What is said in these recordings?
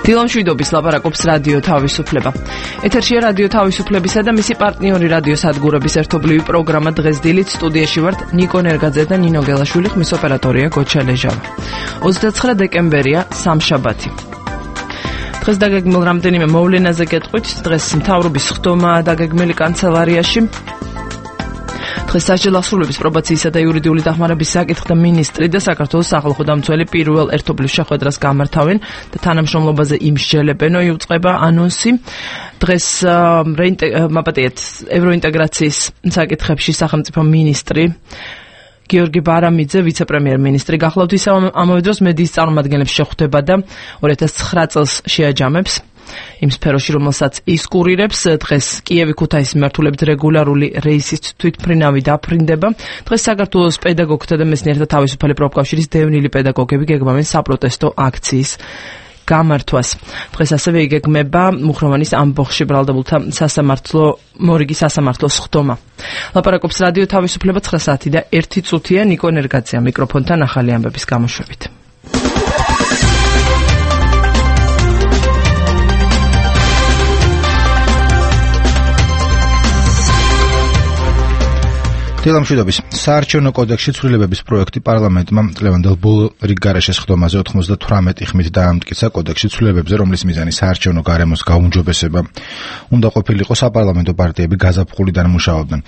დილა მშვიდობის ლაპარაკობს რადიო თავისუფლება. ეთერშია რადიო თავისუფლებისა და მისი პარტნიორი რადიო სადგურების ერთობლივი პროგრამა დღეს დილით სტუდიაში ვართ ნიკო ნერგაძე და ნინო გელაშვილი, ხმის ოპერატორია გოჩა ლეჟავა. 29 დეკემბერია, სამშაბათი. დღეს დაგეგმილ რამდენიმე მოვლენაზე გეტყვით. დღეს მთავრობის ხდომაა დაგეგმილი კანცელარიაში. დღეს სასჯელ ასრულების პრობაციისა და იურიდიული დახმარების საკითხთა მინისტრი და საქართველოს სახალხო დამცველი პირველ ერთობლივ შეხვედრას გამართავენ და თანამშრომლობაზე იმსჯელებენ. იუწყება ანონსი. დღეს ევროინტეგრაციის საკითხებში სახელმწიფო მინისტრი გიორგი ბარამიძე, ვიცე-პრემიერ-მინისტრი გახლავთ. ისევ ამავე დროს მედიის წარმომადგენლებს შეხვდება და 2009 წელს შეაჯამებს იმ სფეროში, რომელსაც ის კურირებს. დღეს კიევი-ქუთაისის მიმართულებით რეგულარული რეისის თვითმფრინავი დაფრინდება. დღეს საქართველოს პედაგოგთა და მეცნიერთა თავისუფალი პროფკავშირის დევნილი პედაგოგები გეგმავენ საპროტესტო აქციის გამართვას. დღეს ასევე იგეგმება მუხროვანის ამბოხში ბრალდებულთა მორიგი სასამართლოს ხდომა. ლაპარაკობს რადიო თავისუფლება 9 საათი და 1 წუთია. ნიკო ნერგაძეა მიკროფონთან ახალი ამბების გამოშვებით. დილა მშვიდობის. საარჩევნო კოდექსში ცვლილებების პროექტი პარლამენტმა წლევანდელ ბოლო რიგ გარეშეს ხდომაზე 98 ხმით დაამტკიცა კოდექსში ცვლილებებზე, რომლის მიზანი საარჩევნო გარემოს გაუმჯობესება უნდა ყოფილიყო. საპარლამენტო პარტიები გაზაფხულიდან მუშაობდნენ.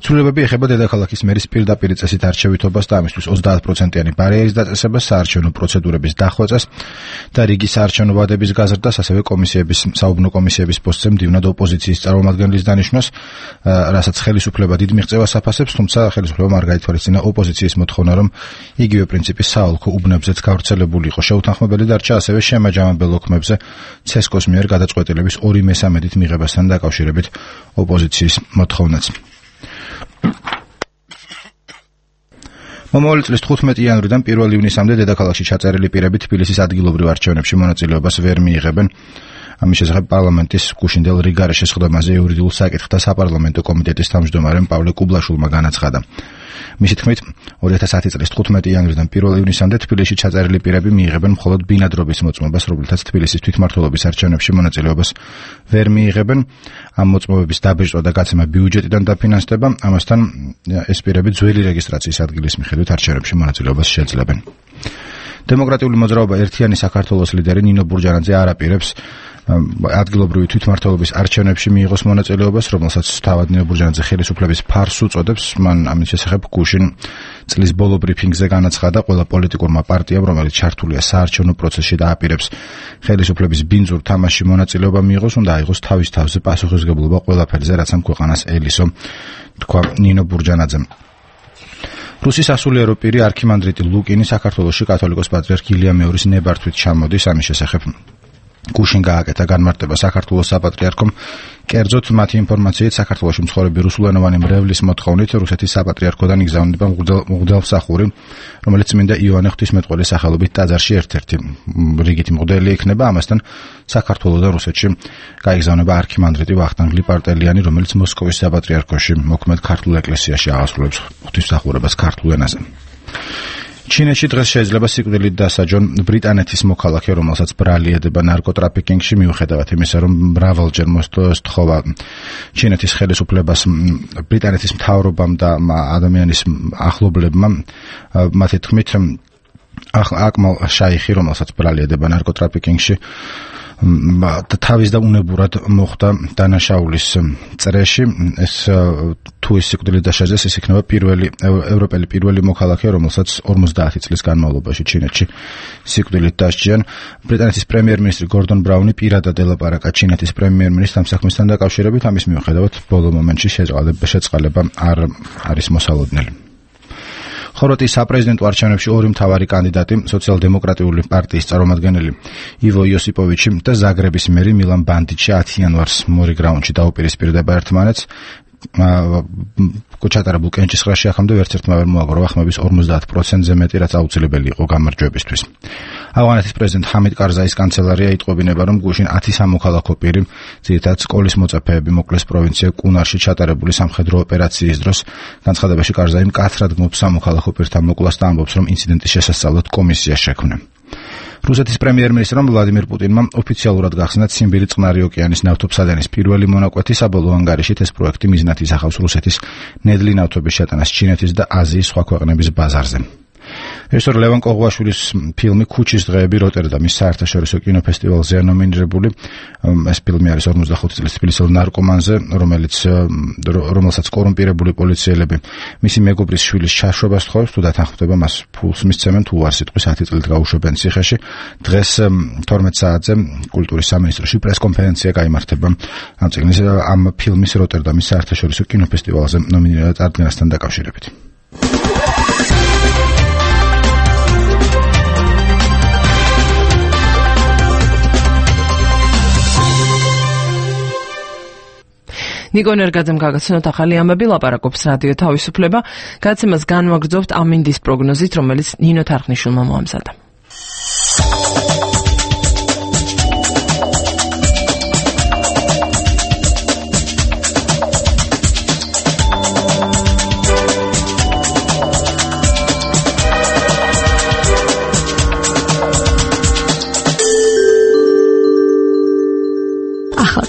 ცვლილებები ეხება დედაქალაქის მერის პირდაპირ წესით არჩევითობას და ამისთვის 30%-იანი ბარიერის დაწესებას, საარჩევნო პროცედურების დახვეწას და რიგი საარჩევნო ვადების გაზრდას, ასევე საუბნო კომისიების პოსტზე მდივნად ოპოზიციის წარმომადგენლის დანიშვნას, რასაც ხელისუფლება დიდ მიღწევას აფასებს. ხელისუფლება არ გაითვალისწინა ოპოზიციის მოთხოვნა, რომ იგივე პრინციპი საოლქო უბნებზეც გავრცელებული იყო. შეუთანხმებელი დარჩა ასევე შემაჯამებელ ოქმებზე ცესკოს მიერ გადაწყვეტილების 2/3 მიღებასთან დაკავშირებით ოპოზიციის მოთხოვნაც. მომავალი წლის 15 იანვრიდან 1 ივნისამდე დედაქალაქში ჩაწერილი პირები თბილისის ადგილობრივ არჩევნებში მონაწილეობას ვერ მიიღებენ. ამის შესახებ პარლამენტის გუშინდელ რიგარეშეს ხდომაზე იურიდიულ საკითხთა საპარლამენტო კომიტეტის თავმჯდომარემ პავლე კუბლაშვილმა განაცხადა. მისი თქმით, 2010 წლის 15 იანვრიდან 1 ივნისამდე თბილისში ჩაწერილი პირები მიიღებენ მხოლოდ ბინადრობის მოწმობას, რომლითაც თბილისის თვითმმართველობის არჩევნებში მონაწილეობას ვერ მიიღებენ. ამ მოწმობების დაბეჭდვა და გაცემა ბიუჯეტიდან დაფინანსდება. ამასთან ეს პირები ძველი რეგისტრაციის ადგილის მიხედვით არჩევნებში მონაწილეობას შეძლებენ. დემოკრატიული მოძრაობა ერთიანი საქართველოს ლიდერი ნინო ბურჯანაძე არ აპირებს ადგილობრივი თვითმმართველობის არჩევნებში მიიღოს მონაწილეობას, რომელსაც თავად ნინო ბურჯანაძე ხელისუფლების ფარს უწოდებს. მან ამის შესახებ გუშინ წლის ბოლო ბრიფინგზე განაცხადა, ყველა პოლიტიკურმა პარტიამ, რომელიც ჩართულია საარჩევნო პროცესში და აპირებს ხელისუფლების ბინძურ თამაშში მონაწილეობა მიიღოს, უნდა აიღოს თავის თავზე პასუხისმგებლობა ყველაფერზე, რაც ამ ქვეყანას ელისო, თქვა ნინო ბურჯანაძემ. რუსის სასულიერო პირი არქიმანდრიტი ლუკინი საქართველოში კათოლიკოს პატრიარქ ილია მეორის ნებართვით ჩამოდის. ამის შესახებ გუშინ გააკეთა განმარტება საქართველოს საპატრიარქომ. კერძოდ მათი ინფორმაციით, საქართველოში მცხოვრები რუსულენოვანი მრევლის მოთხოვნით რუსეთის საპატრიარქოდან იგზავნება მღვდელმსახური, რომელიც წმინდა იოანე ღვთისმეტყველის სახელობით ტაძარში ერთ-ერთი რიგითი მღვდელი იქნება. ამასთან საქართველოდან რუსეთში გაიგზავნება არქიმანდრიტი ვახტანგ ლიპარტელიანი, რომელიც მოსკოვის საპატრიარქოში მოქმედ ქართულ ეკლესიაში აღასრულებს ღვთისმსახურებას ქართულ ენაზე. ჩინეთში დღეს შეიძლება სიკვდილით დასაჯონ ბრიტანეთის მოქალაქე, რომელსაც ბრალი ედება ნარკოტრაფიკინგში, მიუხედავად იმისა, რომ მრავალჯერ მოსთხოვა ჩინეთის ხელისუფლებას, ბრიტანეთის მთავრობამ და ადამიანის ახლობლებმა. მათი თქმით, აკმალ შაიხი, რომელსაც ბრალი ედება ნარკოტრაფიკინგში, თავის და უნებურად მოხვდა დანაშაულის წრეში. ეს თუ ის სიკვდილით დასაჯეს, ის იქნება ევროპელი პირველი მოქალაქე, რომელსაც 50 წლის განმავლობაში ჩინეთში სიკვდილით დასჯიან. ბრიტანეთის პრემიერ-მინისტრი გორდონ ბრაუნი პირადად ელაპარაკა ჩინეთის პრემიერ-მინისტრს ამ საქმესთან დაკავშირებით. ამის მიუხედავად, ბოლო მომენტში შეწყალება არ არის მოსალოდნელი. ხორვატიის საპრეზიდენტო არჩევნებში ორი მთავარი კანდიდატი, სოციალ-დემოკრატიული პარტიის წარმომადგენელი ივო იოსიპოვიჩი და ზაგრების მერი მილან ბანდიჩი 10 იანვარს მორიგ რაუნდში დაუპირისპირდება ერთმანეთს. ჩატარებულ კენჭისყრაში ახამდე ვერცერთმა ვერ მოაგროვა ხმების 50%-ზე მეტი, რაც აუცილებელი იყო გამარჯვებისთვის. ავღანეთის პრეზიდენტ ჰამიდ კარზაის კანცელარია იტყობინება, რომ გუშინ 10 სამოქალაქო პირი, ძირითადად სკოლის მოწაფეები, მოკლეს პროვინცია კუნარში ჩატარებული სამხედრო ოპერაციის დროს. განცხადებაში კარზაი მკაცრად გმობს სამოქალაქო პირთა მოკლას და ამბობს, რომ ინციდენტის შესასწავლად კომისია შექმნა. რუსეთის პრემიერ-მინისტრმა ვლადიმირ პუტინმა ოფიციალურად გახსნა ციმბირი წყნარი ოკეანის ნავთობსადენის პირველი მონაკვეთი საბოლოო ანგარიშით. ეს პროექტი მიზნად ისახავს რუსეთის ნედლი ნავთობის შეტანას ჩინეთის და აზიის სხვა ქვეყნების ბაზარზე. რეჟისორ ლევან კოღუაშვილის ფილმი ქუჩის დღეები როტერდამის საერთაშორისო კინოფესტივალზეა ნომინირებული. ეს ფილმი არის 45 წლის თბილისელ ნარკომანზე, რომელსაც კორუმპირებული პოლიციელები მისი მეგობრის შვილის ჩაშვებას თხოვს, თუ დათანხმდება მას ფულს მისცემენ, თუ არ სიტყვის 10 წლით გაუშვებენ ციხეში. დღეს 12 საათზე კულტურის სამინისტროში პრესკონფერენცია გაიმართება ამ ფილმის როტერდამის საერთაშორისო კინოფესტივალზე ნომინირებად წარდგენასთან დაკავშირებით. ნიკო ნერგაძემ გაგაცნოთ ახალი ამბები, ლაპარაკობს რადიო თავისუფლება. გადაცემას განვაგრძობთ ამინდის პროგნოზით, რომელიც ნინო თარხნიშვილმა მოამზადა.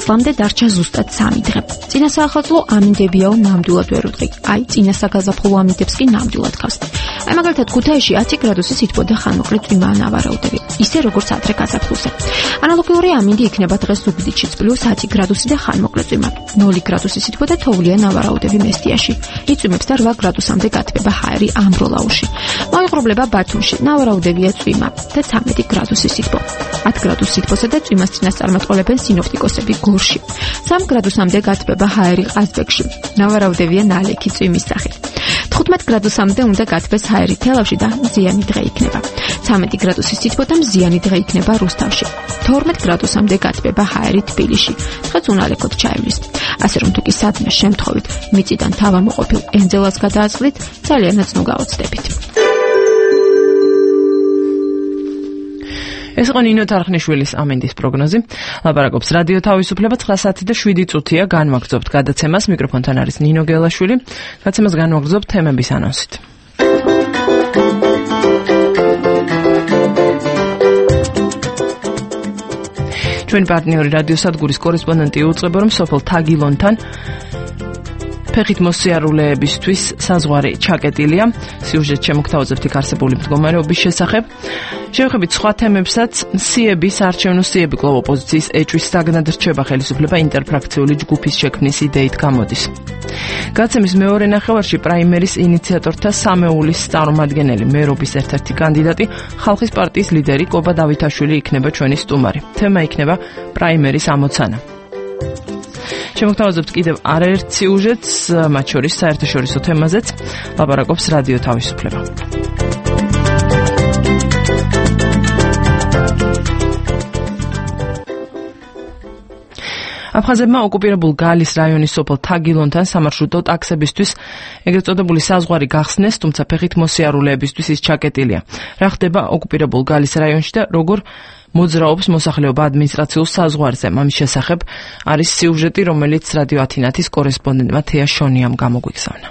წლამდე დარჩა ზუსტად 3 დღე. წინა საახალწლო ამინდებიაო ნამდვილად ვერ უდღი. აი, წინა საგაზაფხულო ამინდებს კი ნამდვილად ქავს. აი, მაგალითად ქუთაისში 10 გრადუსი სითბო და ხანმოკლე წვიმა ანავარაუდები. ისე როგორც ადრე გაზაფხულზე. ანალოგიური ამინდი იქნება დღეს ზუგდიდშიც +10 გრადუსი და ხანმოკლე წვიმა. 0 გრადუსი სითბო და თოვლია ნავარაუდები მესტიაში. იწვიმებს და 8 გრადუსამდე გათბება ჰაერი ამბროლაუში. მოიყრუბლება ბათუმში, ნავარაუდებია წვიმა და 13 გრადუსი სითბო. 10 გრადუსი სითბოსა და წვიმას წინასწარმეტყველებენ სინოპტიკოსები გორში. 3 გრადუსამდე გათბება ჰაერი ყაზბეგში. ნავარაუდებია ნალექი წვიმის სახით. 15 გრადუსამდე უნდა გათბეს ჰაერი თელავში და მზიანი დღე იქნება. 13 გრადუსი სითბო და მზიანი დღე იქნება რუსთავში. 12 გრადუსამდე გათბება ჰაერი თბილისში. დღეს უნალექოდ ჩაივლის. ასე რომ თუ კი სადმე შემთხვევით მიწიდან თავამოყოფილ ენძელას გადააწყდით, ძალიანაც ნუ გაოცდებით. ეს იყო ნინო თარხნიშვილის ამინდის პროგნოზი. ლაპარაკობს რადიო თავისუფლება 9:07 განვაგრძობთ გადაცემას. მიკროფონთან არის ნინო გელაშვილი. გადაცემას განვაგრძობთ თემების ანონსით. ჩვენი პარტნიორი რადიოსადგურის კორესპონდენტი უწყება, რომ სოფელ თაგილონთან ფეხით მოსიარულეებისთვის საზღვარი ჩაკეტილია. სიუჟეტ შემოგთავაზებთ იქ არსებული მდგომარეობის შესახებ. შევხედით სხვა თემებსაც. საარჩევნო სიები კვლავ ოპოზიციის ეჭვის საგნად რჩება. ხელისუფლება ინტერფრაქციული ჯგუფის შექმნის იდეით გამოდის. გადაცემის მეორე ნახევარში პრაიმერის ინიციატორთა სამეულის წარმომადგენელი, მერობის ერთ-ერთი კანდიდატი, ხალხის პარტიის ლიდერი კობა დავითაშვილი იქნება ჩვენი სტუმარი. თემა იქნება პრაიმერის ამოცანა. შემოგთავაზებთ კიდევ არაერთ სიუჟეტს, მათ შორის საერთაშორისო თემაზეც ლაპარაკობს რადიო თავისუფლება. აფხაზებმა ოკუპირებულ გალის რაიონის სოფელ თაგილონთან სამარშრუტო ტაქსებისთვის ეგრეთ წოდებული საზღვარი გახსნეს, თუმცა ფეხით მოსიარულეებისთვის ის ჩაკეტილია. რა ხდება ოკუპირებულ გალის რაიონში და როგორ მოძრაობს მოსახლეობა ადმინისტრაციულ საზღვარზე? ამის შესახებ არის სიუჟეტი, რომელიც რადიო ათინათის კორესპონდენტმა თეა შონიამ გამოგვიგზავნა.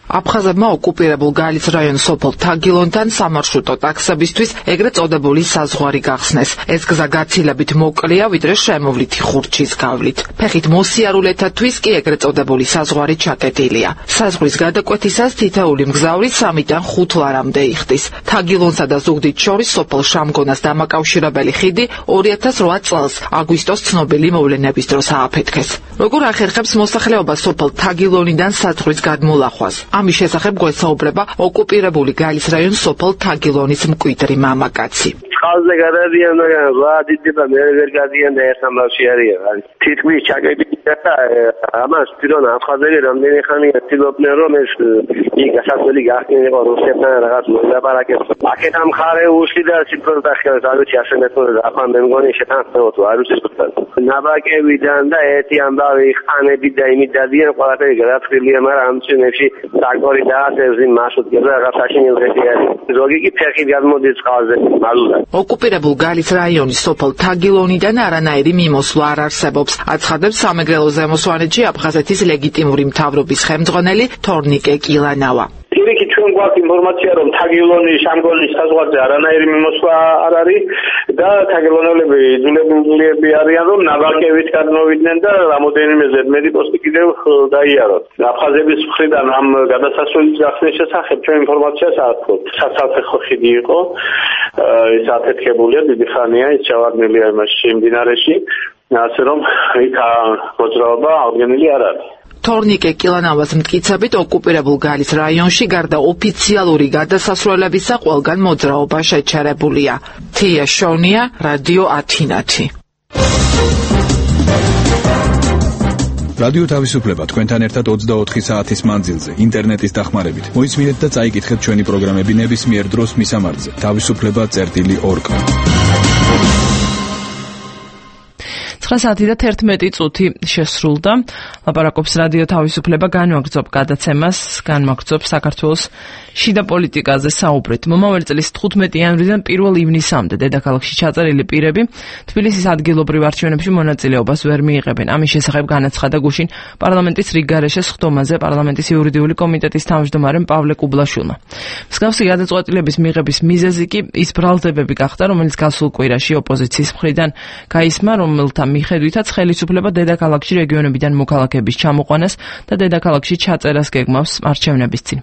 აფხაზებმა ოკუპირებულ გალის რაიონის სოფელ თაგილონთან სამარშრუტო ტაქსებისთვის ეგრეთ წოდებული საზღვარი გახსნეს. ეს გზა გაცილებით მოკლეა, ვიდრე შემოვლითი ხურჩის გავლით. ფეხით მოსიარულეთათვის კი ეგრეთ წოდებული საზღვარი ჩაკეტილია. საზღვრის გადაკვეთისას თითოეული მგზავრი 3-დან 5 ლარამდე იხდის. თაგილონსა და ზუგდიდს შორის სოფელ შამგონას დამაკავშირებელი ხიდი 2008 წელს აგვისტოს ცნობილი მოვლენების დროს ააფეთქეს. როგორ ახერხებს მოსახლეობა სოფელ თაგილონიდან საზღვრის გადმოლახვას? ამის შესახებ გვესაუბრება ოკუპირებული გალის რაიონის სოფელ თაგილონის მკვიდრი მამაკაცი. წყალზე გადადიან და ვადიდება მე ვერ გადიან და ერთ ამბავში არიან. თითქმის ჩაკეტილია და ამას პირონ აფხაზები რამდენი ხანია ცდილობდნენ რომ ეს იქ გასასვლელი გახდინიყო რუსეთთან რაღაც მოლაპარაკებს. აქეთ ამ ხარე უშლი და სიფრონტა ხელს არ ვიცი ასე მეთოდი ახან მე მგონი შეთანხმებოდ არ ვიცი თქო. ნაბაკებიდან და ერთი ამბავი ხანები და იმით დადიან ყველაფერი გადაწყვილია, მაგრამ ამ წინებში საკორი დააწევს იმ მარშრუტებს და რაღაც საშინელ დღეში არის. ზოგი კი ფეხით გადმოდის წყალზე მალულად. ოკუპირებულ გალის რაიონის სოფელ თაგილონიდან არანაირი მიმოსვლა არ არსებობს. აცხადებს სამეგრელო ზემო სვანეთში აფხაზეთის ლეგიტიმური მთავრობის ხელმძღვანელი თორნიკე კილანავა. პირიქით ჩვენ ჩვენ გვაქვს ინფორმაცია, რომ თაგილონი შამგოლის საზღვარზე არანაირი მიმოსვლა არ არის და თაგილონელები იძულებული არიან, რომ ნაბარკევით გადმოვიდნენ და რამოდენიმე ზედმეტი პოსტი კიდევ დაიაროთ. აფხაზების მხრიდან ამ გადასასვლელის გახსნის შესახებ ჩვენ ინფორმაციას არ გვაქვს. საცალფეხო ხიდი იყო, ეს აფეთქებულია დიდი ხანია, ის ჩავარდნილია იმაში მდინარეში, ასე რომ იქ მოძრაობა აღდგენილი არ არის. თორნიკე კილანავას მტკიცებით ოკუპირებულ გალის რაიონში გარდა ოფიციალური გადასასვლელებისა ყველგან მოძრაობა შეჩერებულია. თია შონია, რადიო ათინათი. რადიო თავისუფლება თქვენთან ერთად 24 საათის მანძილზე ინტერნეტის დახმარებით. მოისმინეთ და წაიკითხეთ ჩვენი პროგრამები ნებისმიერ დროს მისამართზე. თავისუფლება.org. 9:11 შესრულდა. ლაპარაკობს რადიო თავისუფლება, განვაგრძობ გადაცემას, განვაგრძობ საქართველოს შიდა პოლიტიკაზე საუბრით. მომავალ წლის 15 იანვრიდან 1 ივნისამდე დედაქალაქში ჩაწერილი პირები თბილისის ადგილობრივ არჩევნებში მონაწილეობას ვერ მიიღებენ. ამის შესახებ განაცხადა გუშინ პარლამენტის რიგგარეშე სხდომაზე პარლამენტის იურიდიული კომიტეტის თავმჯდომარემ პავლე კუბლაშვილმა. მსგავსი გადაწყვეტილების მიღების მიზეზი კი ის ბრალდებები გახდა, რომელიც გასულ კვირაში ოპოზიციის მხრიდან გაისმა, რომელთა მიხედვითაც ხელისუფლება დედაქალაქში რეგიონებიდან მოქალაქეების ჩამოყვანას და დედაქალაქში ჩაწერას გეგმავს არჩევნების წინ.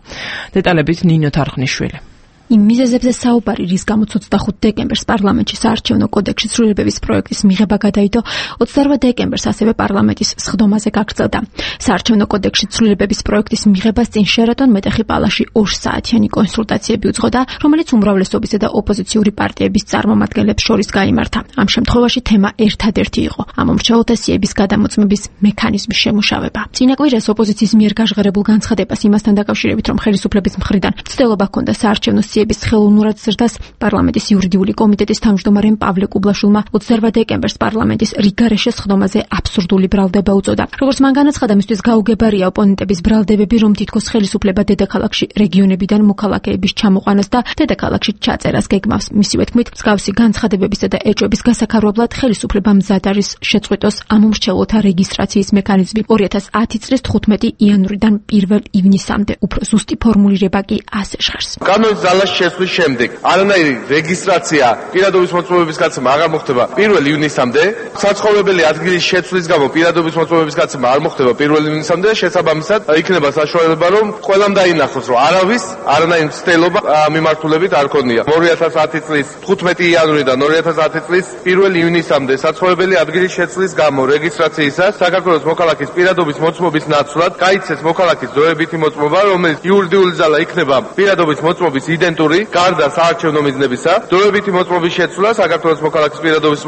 დეტალებით ნინო თარხნიშვილი. იმ მიზეზებზე საუბარი, რის გამოც 25 დეკემბერს პარლამენტში საარჩევნო კოდექსის ცვლილებების პროექტის მიღება გადაიდო, 28 დეკემბერს ასევე პარლამენტის სხდომაზე გაგრძელდა. საარჩევნო კოდექსის ცვლილებების პროექტის მიღებას წინ შერატონ მეტეხი პალაში 2 საათიანი კონსულტაციები უძღოდა, რომელიც უმრავლესობისა და ოპოზიციური პარტიების წარმომადგენლებს შორის გაიმართა. ამ შემთხვევაში თემა ერთადერთი იყო: ამომრჩეველთა სიების გადამოწმების მექანიზმის შემუშავება. წინა კვირას ოპოზიციის მიერ გაჟღერებულ განცხადებას იმასთან დაკავშირებით, რომ ხელისუფლების მხრიდან მცდელობა ჰქონდა საარჩევნო სიების ხელოვნურად ზრდას, პარლამენტის იურიდიული კომიტეტის თავმჯდომარემ პავლე კუბლაშვილმა 28 დეკემბერს პარლამენტის რიგგარეშე სხდომაზე აბსურდული ბრალდება უწოდა. როგორც მან განაცხადა, მისთვის გაუგებარია ოპონენტების ბრალდებები, რომ თითქოს ხელისუფლება დედაქალაქში რეგიონებიდან მოქალაქეების ჩამოყვანას და დედაქალაქში ჩაწერას გეგმავს. მისივე თქმით, მსგავსი განცხადებებისა და ეჭვების გასაქარობლად ხელისუფლება მზად არის შეწყვიტოს ამომრჩეველთა რეგისტრაციის მექანიზმი. 2010 წლის 15 იანვრიდან 1 ივნისამდე უფრო ზუსტი ფორმულირება კი ასე ჟღერს. შესვლის შემდეგ არანაირი რეგისტრაცია პირადობის მოწმობების გაცემა აღარ მოხდება 1 ივნისამდე. საცხოვრებელი ადგილის შეცვლის გამო პირადობის მოწმობების გაცემა არ მოხდება 1 ივნისამდე. შესაბამისად, იქნება საშუალება, რომ ყველამ დაინახოს, რომ არავის არანაირი მცდელობა მიმართულებით არ ქონია. 2010 წლის 15 იანვრიდან 2010 წლის 1 ივნისამდე საცხოვრებელი ადგილის შეცვლის გამო რეგისტრაციისას საქართველოს მოქალაქის პირადობის მოწმობის ნაცვლად გაიცეს მოქალაქის დროებითი მოწმობა, რომელიც იურიდიული ძალა იქნება პირადობის მოწმობის იდენტური გარდა საარჩევნო მიზნებისა. დროებითი მოწმობის შეცვლა საქართველოს მოქალაქის პირადობის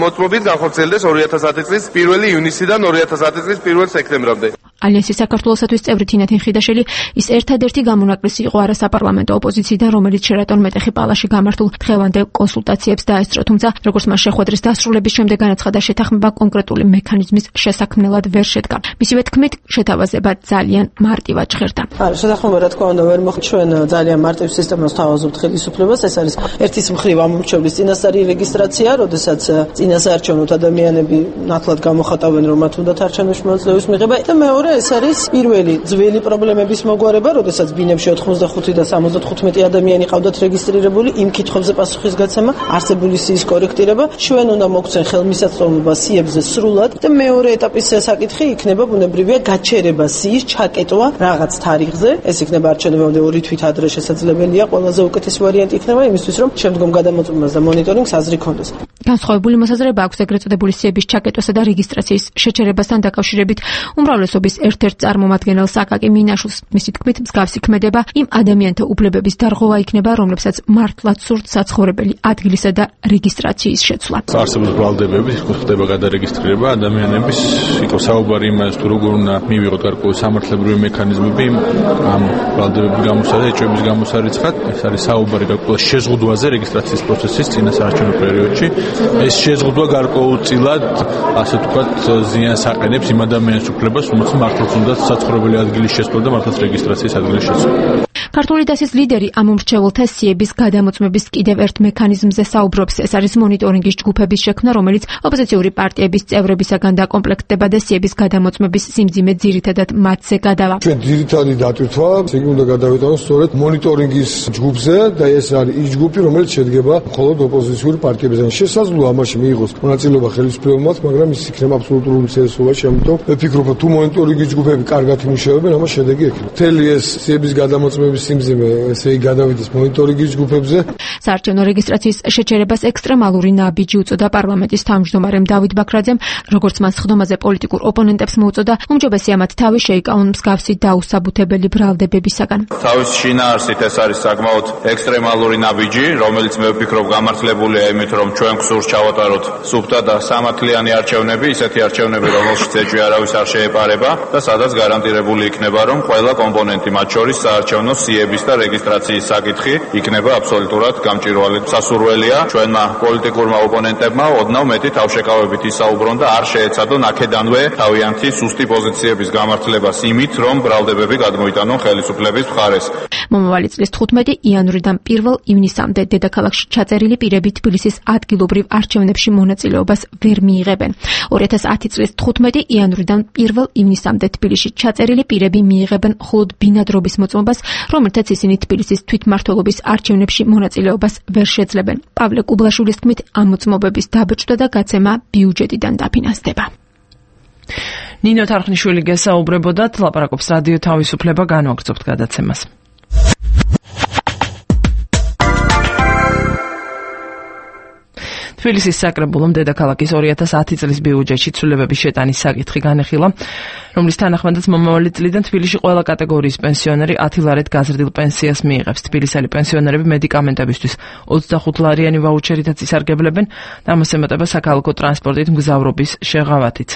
მოწმობით განხორციელდეს 2010 წლის 1 ივნისიდან 2010 წლის 1 სექტემბრამდე. ალიანსის საქართველოსათვის წევრი თინათინ ხიდაშელი ის ერთადერთი გამონაკლისი იყო არასაპარლამენტო ოპოზიციიდან, რომელიც შერატონ მეტეხი პალაში გამართულ დღევანდელ კონსულტაციებს დაესწრო, თუმცა როგორც მას შეხვედრის დასრულების შემდეგ განაცხადა, შეთანხმება კონკრეტული მექანიზმის შესაქმნელად ვერ შედგა. მისივე თქმით, შეთავაზება ძალიან მარტივად ჟღერდა. შეთანხმება რა თქმა უნდა ვერ მოხდა, ჩვენ ძალიან მარტივ სისტემას თავაზობთ ხელისუფლებას. ეს არის ერთის მხრივ ამომრჩევლის წინასწარი რეგისტრაცია, როდესაც წინასაარჩევნოთ ადამიანები ნათლად გამოხატავენ, რომ მათ უნდათ არჩევნებში მონაწილეობის მიღება და მეორე ეს არის პირველი ძველი პრობლემების მოგვარება, როდესაც ბინებში 85 და 75 ადამიანი ყავდათ რეგისტრირებული, იმ კითხვებზე პასუხისგაცემა, არსებული სიის კორექტირება, ჩვენ უნდა მოგცენ ხელმისაწვდომობა სიებზე სრულად და მეორე ეტაპის საკითხი იქნება ბუნებრივია გაჩერება სიის ჩაკეტვა რაღაც თარიღზე. ეს იქნება არჩევნებამდე 2 თვით ადრე შესაძლებელია, ყველაზე უკეთესი ვარიანტი იქნება იმისთვის, რომ შემდგომ გადამოწმებას და მონიტორინგს აზრი ქონდეს. განსხვავებული მოსაზრება აქვს ეგრეთ წოდებული სიების ჩაკეტვასა და რეგისტრაციის შეჩერებასთან დაკავშირებით უმრავლესობის ერთ-ერთ წარმომადგენელს აკაკი მინაშვილს. მისი თქმით, მსგავსი ქმედება იმ ადამიანთა უფლებების დარღვევა იქნება, რომლებსაც მართლაც სურთ საცხოვრებელი ადგილისა და რეგისტრაციის შეცვლა. არსებობს ბრალდებები, ხდება გადარეგისტრირება ადამიანების, იყო საუბარი იმას, თუ როგორ უნდა მივიღოთ გარკვეული სამართლებრივი მექანიზმები ამ ბრალდებების გამოსა და ეჭვების გამოსარიცხად. ეს არის საუბარი გარკვეულ შეზღუდვაზე რეგისტრაციის პროცესის წინასაარჩევნო პერიოდში. ეს შეზღუდვა გარკვეულწილად, ასე ვთქვათ, ზიანს აყენებს იმ ადამიანის უფლებას, რომელსაც მართლაც უნდა საცხოვრებელი ადგილის შესვლა და მართლაც რეგისტრაციის ადგილის შესვლა. ქართული დასის ლიდერი ამ უმრჩეველთა სიების გადამოწმების კიდევ ერთ მექანიზმზე საუბრობს. ეს არის მონიტორინგის ჯგუფების შექმნა, რომელიც ოპოზიციური პარტიების წევრებისაგან დაკომპლექტდება და სიების გადამოწმების სიმძიმე ძირითადად მათზე გადავა. ჩვენ ძირითადი დატვირთვა იგი უნდა გადავიტანოს სწორედ მონიტორინგის ჯგუფზე და ეს არის ის ჯგუფი, რომელიც შედგება მხოლოდ ოპოზიციური პარტიებისგან. შესაძლოა ამაში მიიღოს მონაწილეობა ხელისუფლებამ, მაგრამ ის იქნება აბსოლუტური უმცირესობაში, ამიტომ ვფიქრობ, თუ მონიტორინგის ჯგუფები კარგად იმუშავებენ, ამას შედეგი ექნება. მთელი ეს სიების გადამოწმების სიმძიმე ესე იგი გადავიდეს მონიტორინგის ჯგუფებზე. საარჩევნო რეგისტრაციის შეჩერებას ექსტრემალური ნაბიჯი უწოდა პარლამენტის თავმჯდომარემ დავით ბაქრაძემ, როგორც მან სხდომაზე პოლიტიკურ ოპონენტებს მოუწოდა, უმჯობესია მათ თავი შეიკავონ მსგავსი დაუსაბუთებელი ბრალდებებისაგან. თავის შინაარსით ეს არის საკმაოდ ექსტრემალური ნაბიჯი, რომელიც მე ვფიქრობ გამართლებულია იმით, რომ ჩვენ გსურს ჩავატაროთ სუფთა და სამართლიანი არჩევნები, ისეთი არჩევნები, რომელშიც ეჭვი არავის არ შეეპარება და სადაც გარანტირებული იქნება, რომ ყველა კომპონენტი, მათ შორის საარჩევნო სიების და რეგისტრაციის საკითხი იქნება აბსოლუტურად გამჭვირვალე. სასურველია ჩვენმა პოლიტიკურმა ოპონენტებმა ოდნავ მეტი თავშეკავებით ისაუბრონ და არ შეეცადონ აქედანვე თავიანთი სუსტი პოზიციების გამართლებას იმით, რომ ბრალდებები გადმოიტანონ ხელისუფლების მხარეს. მომავალი წლის 15 იანვრიდან 1 ივნისამდე დედაქალაქში ჩაწერილი პირები თბილისის ადგილობრივ არჩევნებში მონაწილეობას ვერ მიიღებენ. 2010 წლის 15 იანვრიდან 1 ივნისამდე თბილისში ჩაწერილი პირები მიიღებენ მხოლოდ ბინადრობის მოწმობას, რომელთაც ისინი თბილისის თვითმმართველობის არჩევნებში მონაწილეობას ვერ შეძლებენ. პავლე კუბლაშვილის თქმით, ამ მოწმობების დაბეჭდა და გაცემა ბიუჯეტიდან დაფინანსდება. ნინო თარხნიშვილი გესაუბრებოდათ, ლაპარაკობს რადიო თავისუფლება, განვაგრძობთ გადაცემას. თბილისის საკრებულომ დედაქალაქის 2010 წლის ბიუჯეტში ცვლილებების შეტანის საკითხი განეხილა, რომლის თანახმადაც მომავალი წლიდან თბილისში ყველა კატეგორიის პენსიონერი 10 ლარით გაზრდილ პენსიას მიიღებს. თბილისელი პენსიონერები მედიკამენტებისთვის 25 ლარიანი ვაუჩერითაც ისარგებლებენ და ამას ემატება საქალაქო ტრანსპორტით მგზავრობის შეღავათით.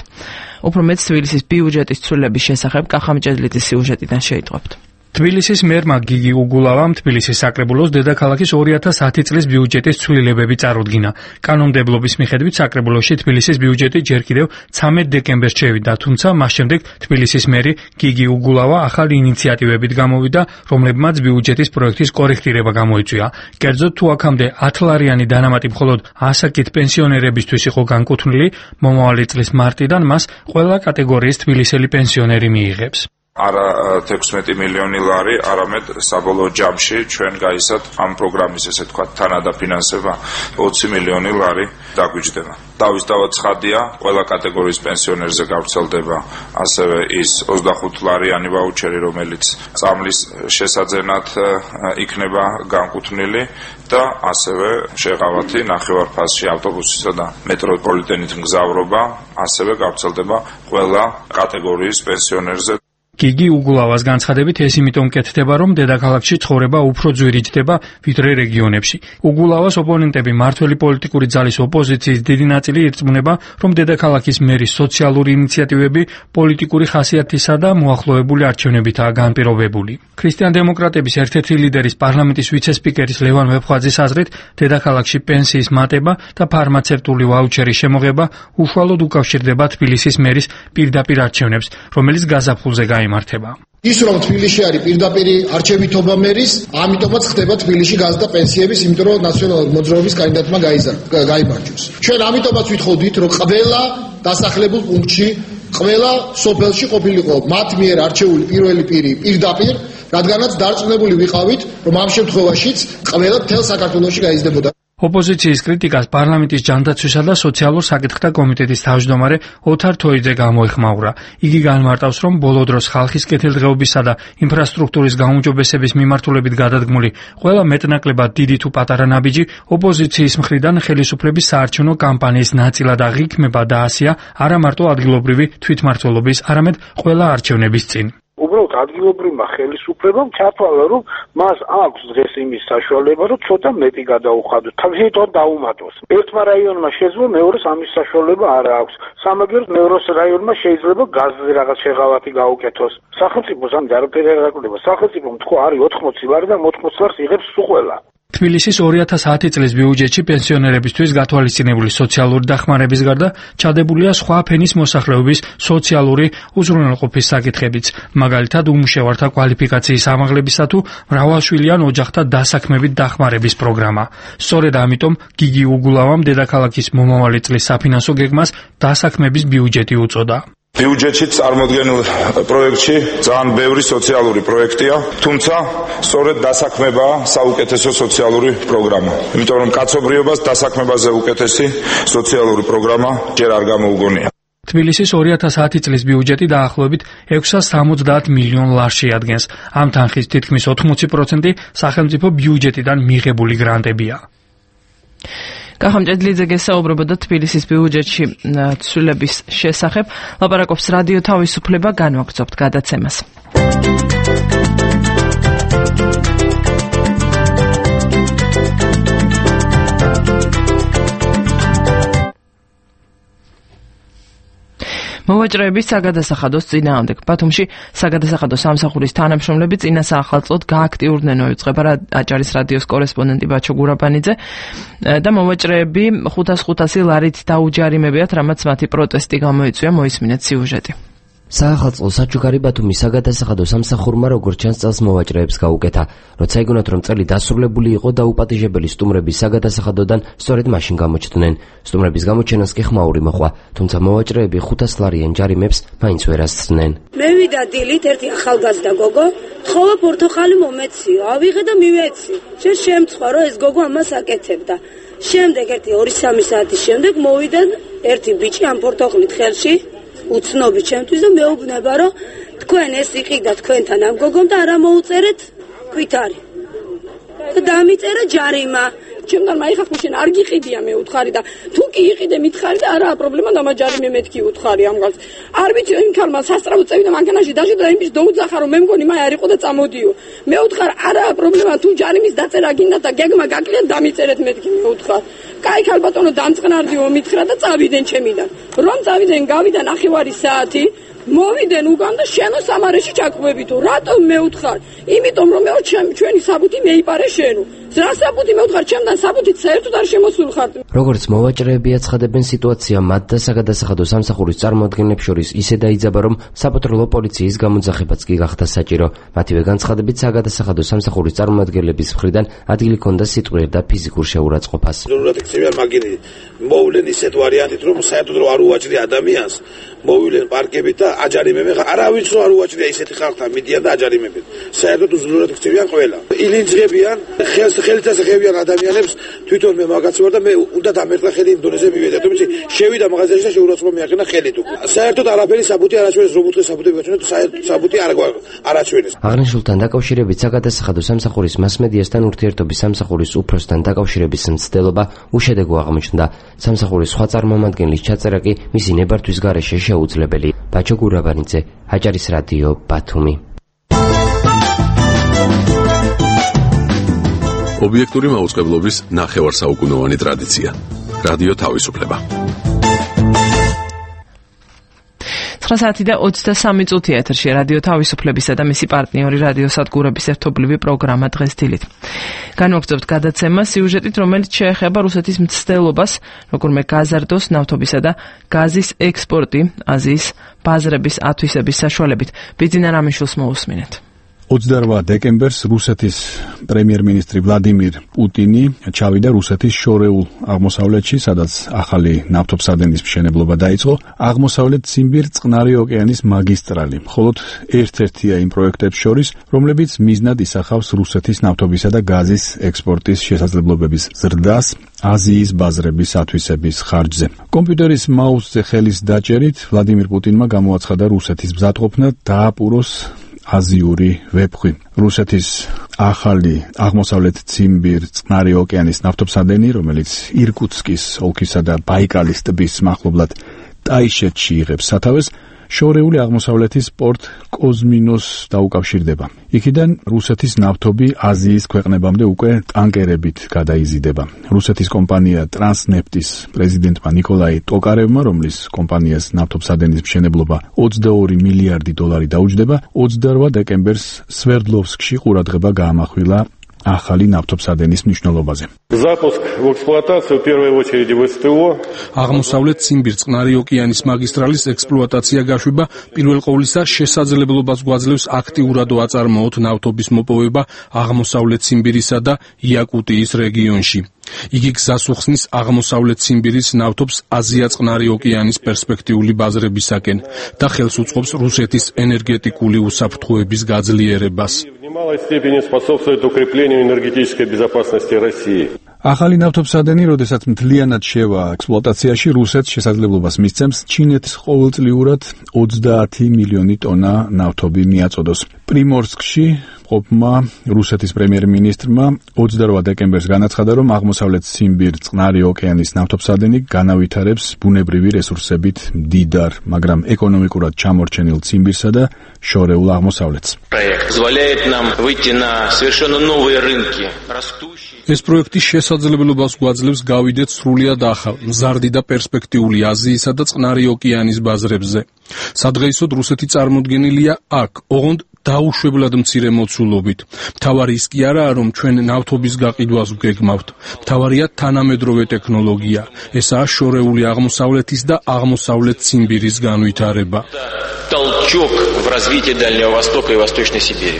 უფრო მეტ თბილისის ბიუჯეტის ცვლილების შესახებ კახამჭედლიძის სიუჟეტიდან შეიტყვებთ. თბილისის მერმა გიგი უგულავამ თბილისის საკრებულოს დედაქალაქის 2010 წლის ბიუჯეტის ცვლილებები წარუდგინა. კანონმდებლობის მიხედვით საკრებულოში თბილისის ბიუჯეტი ჯერ კიდევ 13 დეკემბერს შევიდა, თუმცა მას შემდეგ თბილისის მერი გიგი უგულავა ახალი ინიციატივებით გამოვიდა, რომლებმაც ბიუჯეტის პროექტის კორექტირება გამოიწვია. კერძოდ, თუ აქამდე 10 ლარიანი დანამატი მხოლოდ ასაკით პენსიონერებისთვის იყო განკუთვნილი, მომავალი წლის მარტიდან მას ყველა კატეგორიის თბილისელი პენსიონერი მიიღებს. არა 16 მილიონი ლარი, არამედ საბოლოო ჯამში ჩვენ გაისად ამ პროგრამის ესე თქვა თანადაფინანსება 20 მილიონი ლარი დაგვიჯდება. დავისდავად ცხადია, ყველა კატეგორიის პენსიონერზე გავრცელდება ასევე ის 25 ლარიანი ვაუჩერი, რომელიც წამლის შესაძენად იქნება განკუთვნილი და ასევე შეღავათი ნახევარფასში ავტობუსისა და მეტროპოლიტენით მგზავრობა ასევე გავრცელდება ყველა კატეგორიის პენსიონერზე. გიგი უგულავას განცხადებით ეს იმიტომ კეთდება, რომ დედაქალაქში ცხოვრება უფრო ძვირიჭდება ვიდრე რეგიონებში. უგულავას ოპონენტები მართველი პოლიტიკური ძალის ოპოზიციის დიდი ნაწილი ირწმუნება, რომ დედაქალაქის მერის სოციალური ინიციატივები პოლიტიკური ხასიათისა და მოახლოებული არჩევნებითაა განპირობებული. ქრისტიან-დემოკრატების ერთ-ერთი ლიდერის პარლამენტის ვიცე-სპიკერის ლევან ვეფხვაძის აზრით, დედაქალაქში პენსიის მატება და ფარმაცევტული ვაუჩერის შემოღება უშუალოდ უკავშირდება თბილისის მერის პირდაპირ არჩევნებს, რომელიც გაზაფხულზე იმართება. ის რომ თბილისში არის პირდაპირი არჩევითობა მერის, ამიტომაც ხდება თბილისში გაზრდა პენსიების, იმიტომ რომ ნაციონალური მოძრაობის კანდიდატმა გაიმარჯვეს. ჩვენ ამიტომაც ვითხოვდით, რომ ყველა დასახლებულ პუნქტში, ყველა სოფელში ყოფილიყო მათ მიერ არჩეული პირველი პირი პირდაპირ, რადგანაც დარწმუნებული ვიყავით, რომ ამ შემთხვევაშიც ყველა მთელ საქართველოში გაიზრდებოდა. ოპოზიციის კრიტიკას პარლამენტის ჯანდაცვისა და სოციალურ საკითხთა კომიტეტის თავმჯდომარე ოთარ თოიძე გამოეხმაურა. იგი განმარტავს, რომ ბოლო დროს ხალხის კეთილდღეობისა და ინფრასტრუქტურის გაუმჯობესების მიმართულებით გადადგმული ყველა მეტნაკლებად დიდი თუ პატარა ნაბიჯი ოპოზიციის მხრიდან ხელისუფლების საარჩევნო კამპანიის ნაწილად აღიქმება და ასია არა მარტო ადგილობრივი თვითმმართველობის, არამედ ყველა არჩევნების წინ. უბრალოდ ადგილობრივმა ხელისუფლებამ ჩათვალა, რომ მას აქვს დღეს იმის საშუალება, რომ ცოტა მეტი გადაუხადოს, თავისთავად დაუმატოს. ერთმა რაიონმა შეძლო, მეორეს ამის საშუალება არ აქვს. სამაგეროდ მეორე რაიონმა შეიძლება გაზზე რაღაც შეღავათი გაუკეთოს. სახელმწიფოს ამ არაფერი არ აკვდება. სახელმწიფომ თქვა არის 80 ლარი და 80 ლარს იღებს სულ ყველა. თბილისის 2010 წლის ბიუჯეტში პენსიონერებისთვის გათვალისწინებული სოციალური დახმარების გარდა ჩადებულია სხვა ფენის მოსახლეობის სოციალური უზრუნველყოფის საკითხებიც, მაგალითად უმუშევართა კვალიფიკაციის ამაღლებისა თუ მრავალშვილიან ოჯახთა დასაქმებით დახმარების პროგრამა. სწორედ ამიტომ გიგი უგულავამ დედაქალაქის მომავალი წლის საფინანსო გეგმას დასაქმების ბიუჯეტი უწოდა. ბიუჯეტში წარმოდგენილ პროექტში ძალიან ბევრი სოციალური პროექტია, თუმცა სწორედ დასაქმებაა საუკეთესო სოციალური პროგრამა. იმიტომ რომ კაცობრიობას დასაქმებაზე უკეთესი სოციალური პროგრამა ჯერ არ გამოუგონია. თბილისის 2010 წლის ბიუჯეტი დაახლოებით 670 მილიონ ლარს შეადგენს. ამ თანხის თითქმის 80% სახელმწიფო ბიუჯეტიდან მიღებული გრანტებია. კახამ ჭედლიძე გესაუბრებოდა თბილისის ბიუჯეტში ცვლილების შესახებ. ლაპარაკობს რადიო თავისუფლება, განვაგრძობთ გადაცემას. მოვაჭრეების საგადასახადოს წინააღმდეგ ბათუმში საგადასახადო სამსახურის თანამშრომლები წინა საახალწლოდ გააქტიურდნენ, მოიწყება აჭარის რადიოს კორესპონდენტი ბაჩო გურაბანიძე და მოვაჭრეები 500 ლარით დაუჯარიმებიათ, რამაც მათი პროტესტი გამოიწვია. მოისმინეთ სიუჟეტი. საახალწლო საჩუქარი ბათუმის საგადასახადო სამსახურმა როგორც ჩანს წელს მოვაჭრეებს გაუკეთა. როცა იგონათ რომ წელი დასრულებული იყო და უპატიჟებელი სტუმრების საგადასახადოდან სწორედ მაშინ გამოჩნდნენ. სტუმრების გამოჩენას კი ხმაური მოხვა, თუმცა მოვაჭრეები 500 ლარიან ჯარიმებს მაინც ვერ ასწრნენ. მე ვიდა დილით ერთი ახალგაზრდა გოგო, თხოვა პორტოხალი მომეციო, ავიღე და მივეცი. შემწყვა რომ ეს გოგო ამას აკეთებდა. შემდეგ ერთი 2-3 საათის შემდეგ მოვიდა ერთი ბიჭი ამ პორტოხლით ხელში უცნობი ჩემთვის და მეუბნება რომ თქვენ ეს იყიდა თქვენთან ამ გოგომ და არა მოუწერეთ ქვითარი და დამიწერა ჯარიმა. ჩემთან მაიხახ მაშინ არ გიყიდია მე უთხარი და თუ კი იყიდე მითხარი და არაა პრობლემა და მაჯარიმე მეთქი უთხარი ამ გალს. არ ვიცი იმ ქალმა სასწრაფო წევიდა მანქანაში დაჟე და იმის დაუძახა რომ მე მგონი მე არ იყო და წამოდიო. მე უთხარ არაა პრობლემა თუ ჯარიმის დაწერა გინდა და გეგმა გაკლია დამიწერეთ მეთქი მე უთხარ. კაი ქალბატონო დამწყნარდიო მითხრა და წავიდნენ ჩემიდან. რომ წავიდნენ გავიდა 9 საათი მოვიდნენ უკან და შენო სამარეში ჩაკვებითო. რატომ მე უთხარ? იმიტომ რომ მე ჩვენი საბუთი მეიპარე შენო. რა საბუთი მე უთხარ ჩემთან საბუთით საერთოდ არ შემოსულხარ. როგორც მოვაჭრეები აცხადებენ, სიტუაცია მათ და საგადასახადო სამსახურის წარმოადგენლებს შორის ისე დაიძაბა, რომ საპატრულო პოლიციის გამოძახებაც კი გახდა საჭირო. მათივე განცხადებით, საგადასახადო სამსახურის წარმოადგენლების მხრიდან ადგილი ჰქონდა სიტყვიერ და ფიზიკურ შეურაცხყოფას. ზოგადად იქცევიან მაგინი მოვლენ ისეთ ვარიანტით, რომ საერთოდ არ უაჭრია ადამიანს, მოვივლენ პარკებით და აჯარიმებენ. არავის არ უაჭრია ისეთი ხალხთან მიდიან და აჯარიმებენ. საერთოდ უზრუნველად იქცევიან ყველა. ილინჯღებიან ხელით ასახებიან ადამიანებს. თვითონ მე მაგაც ვარ და მე უნდა დამერტყა ხელი იმ დონეზე მივედა. თუმცა შევიდა მაღაზიაში და შეურაცხყოფა მიაყენა ხელით უკვე. საერთოდ არაფერი საბუთი არ აჩვენეს, რომ უთხე საბუთი გაჩვენეთ, საბუთი არ აჩვენეს. აღნიშნულთან დაკავშირებით საგადასახადო სამსახურის მასმედიასთან ურთიერთობის სამსახურის უფროსთან დაკავშირების მცდელობა უშედეგო აღმოჩნდა. სამსახურის სხვა წარმომადგენლის ჩაწერა კი მისი ნებართვის გარეშე შეუძლებელი. ბაჩო გურაბანიძე, აჭარის რადიო, ბათუმი. ობიექტური მაუწყებლობის ნახევარსაუკუნოვანი ტრადიცია. რადიო თავისუფლება. 9 საათი და 23 წუთია ეთერში რადიო თავისუფლებისა და მისი პარტნიორი რადიო სადგურების ერთობლივი პროგრამა დღეს დილით. განვაგრძობთ გადაცემა სიუჟეტით, რომელიც შეეხება რუსეთის მცდელობას, როგორმე გაზარდოს, ნავთობისა და გაზის ექსპორტი აზიის ბაზრების ათვისების საშუალებით. ბიძინა რამიშვილს მოусმინეთ. 28 დეკემბერს რუსეთის პრემიერ-მინისტრი ვლადიმირ პუტინი ჩავიდა რუსეთის შორეულ აღმოსავლეთში, სადაც ახალი ნავთობსადენის მშენებლობა დაიწყო. აღმოსავლეთ ციმბირ წყნარი ოკეანის მაგისტრალი მხოლოდ ერთ-ერთია იმ პროექტებს შორის, რომლებიც მიზნად ისახავს რუსეთის ნავთობისა და გაზის ექსპორტის შესაძლებლობების ზრდას აზიის ბაზრების ათვისების ხარჯზე. კომპიუტერის მაუსზე ხელის დაჭერით ვლადიმირ პუტინმა გამოაცხადა რუსეთის მზადყოფნა დააპუროს აზიური ვეფხვი. რუსეთის ახალი აღმოსავლეთ ციმბირ წყნარი ოკეანის ნავთობსადენი, რომელიც ირკუტსკის ოლქისა და ბაიკალის ტბის მახლობლად ტაიშეთში იღებს სათავეს, შორეული აღმოსავლეთის პორტ კოზმინოს დაუკავშირდება. იქიდან რუსეთის ნავთობი აზიის ქვეყნებამდე უკვე ტანკერებით გადაიზიდება. რუსეთის კომპანია ტრანსნეფტის პრეზიდენტმა ნიკოლაი ტოკარევმა, რომლის კომპანიას ნავთობსადენის მშენებლობა 22 მილიარდი დოლარი დაუჯდება, 28 დეკემბერს სვერდლოვსკში ყურადღება გაამახვილა ახალი ნავთობსადენის მნიშვნელობაზე. Запуск в эксплуатацию в первую очередь в СТО. აღმოსავლეთ ციმბირ წყნარი ოკეანის მაგისტრალის ექსპლუატაცია გაშვება პირველ ყოვლისა შესაძლებლობას გვაძლევს აქტიურად აწარმოოთ ნავთობის მოპოვება აღმოსავლეთ ციმბირისა და იაკუტიის რეგიონში. იგი გზას უხსნის აღმოსავლეთ ციმბირის ნავთობს აზია-წყნარი ოკეანის პერსპექტიული ბაზრებისაკენ და ხელს უწყობს რუსეთის ენერგეტიკული უსაფრთხოების გაძლიერებას. В немалой степени способствует укреплению энергетической безопасности России. ახალი ნავთობსადენი, როდესაც მთლიანად შევა ექსპლუატაციაში, რუსეთს შესაძლებლობას მისცემს ჩინეთის ყოველწლიურად 30 მილიონი ტონა ნავთობი მიაწოდოს. პრიმორსკში ყოფმა რუსეთის პრემიერ-მინისტრმა 28 დეკემბერს განაცხადა, რომ აღმოსავლეთ ციმბირ წყნარი ოკეანის ნავთობსადენი განავითარებს ბუნებრივი რესურსებით მდიდარ, მაგრამ ეკონომიკურად ჩამორჩენილ ციმბირსა და შორეულ აღმოსავლეთს. ეს პროექტი შესაძლებლობას გვაძლევს გავიდეთ სრულიად ახალ, მზარდი და პერსპექტიული აზიისა და წყნარი ოკეანის ბაზრებზე. სადღეისოდ რუსეთი წარმოდგენილია აქ, ოღონდ დაუშვებლად მცირე მოცულობით. მთავარი ის კი არაა, რომ ჩვენ ნავთობის გაყიდვას ვგეგმავთ. მთავარია თანამედროვე ტექნოლოგია. ესაა შორეული აღმოსავლეთის და აღმოსავლეთ ციმბირის განვითარება. Толчок в развитии Дальнего Востока и Восточной Сибири.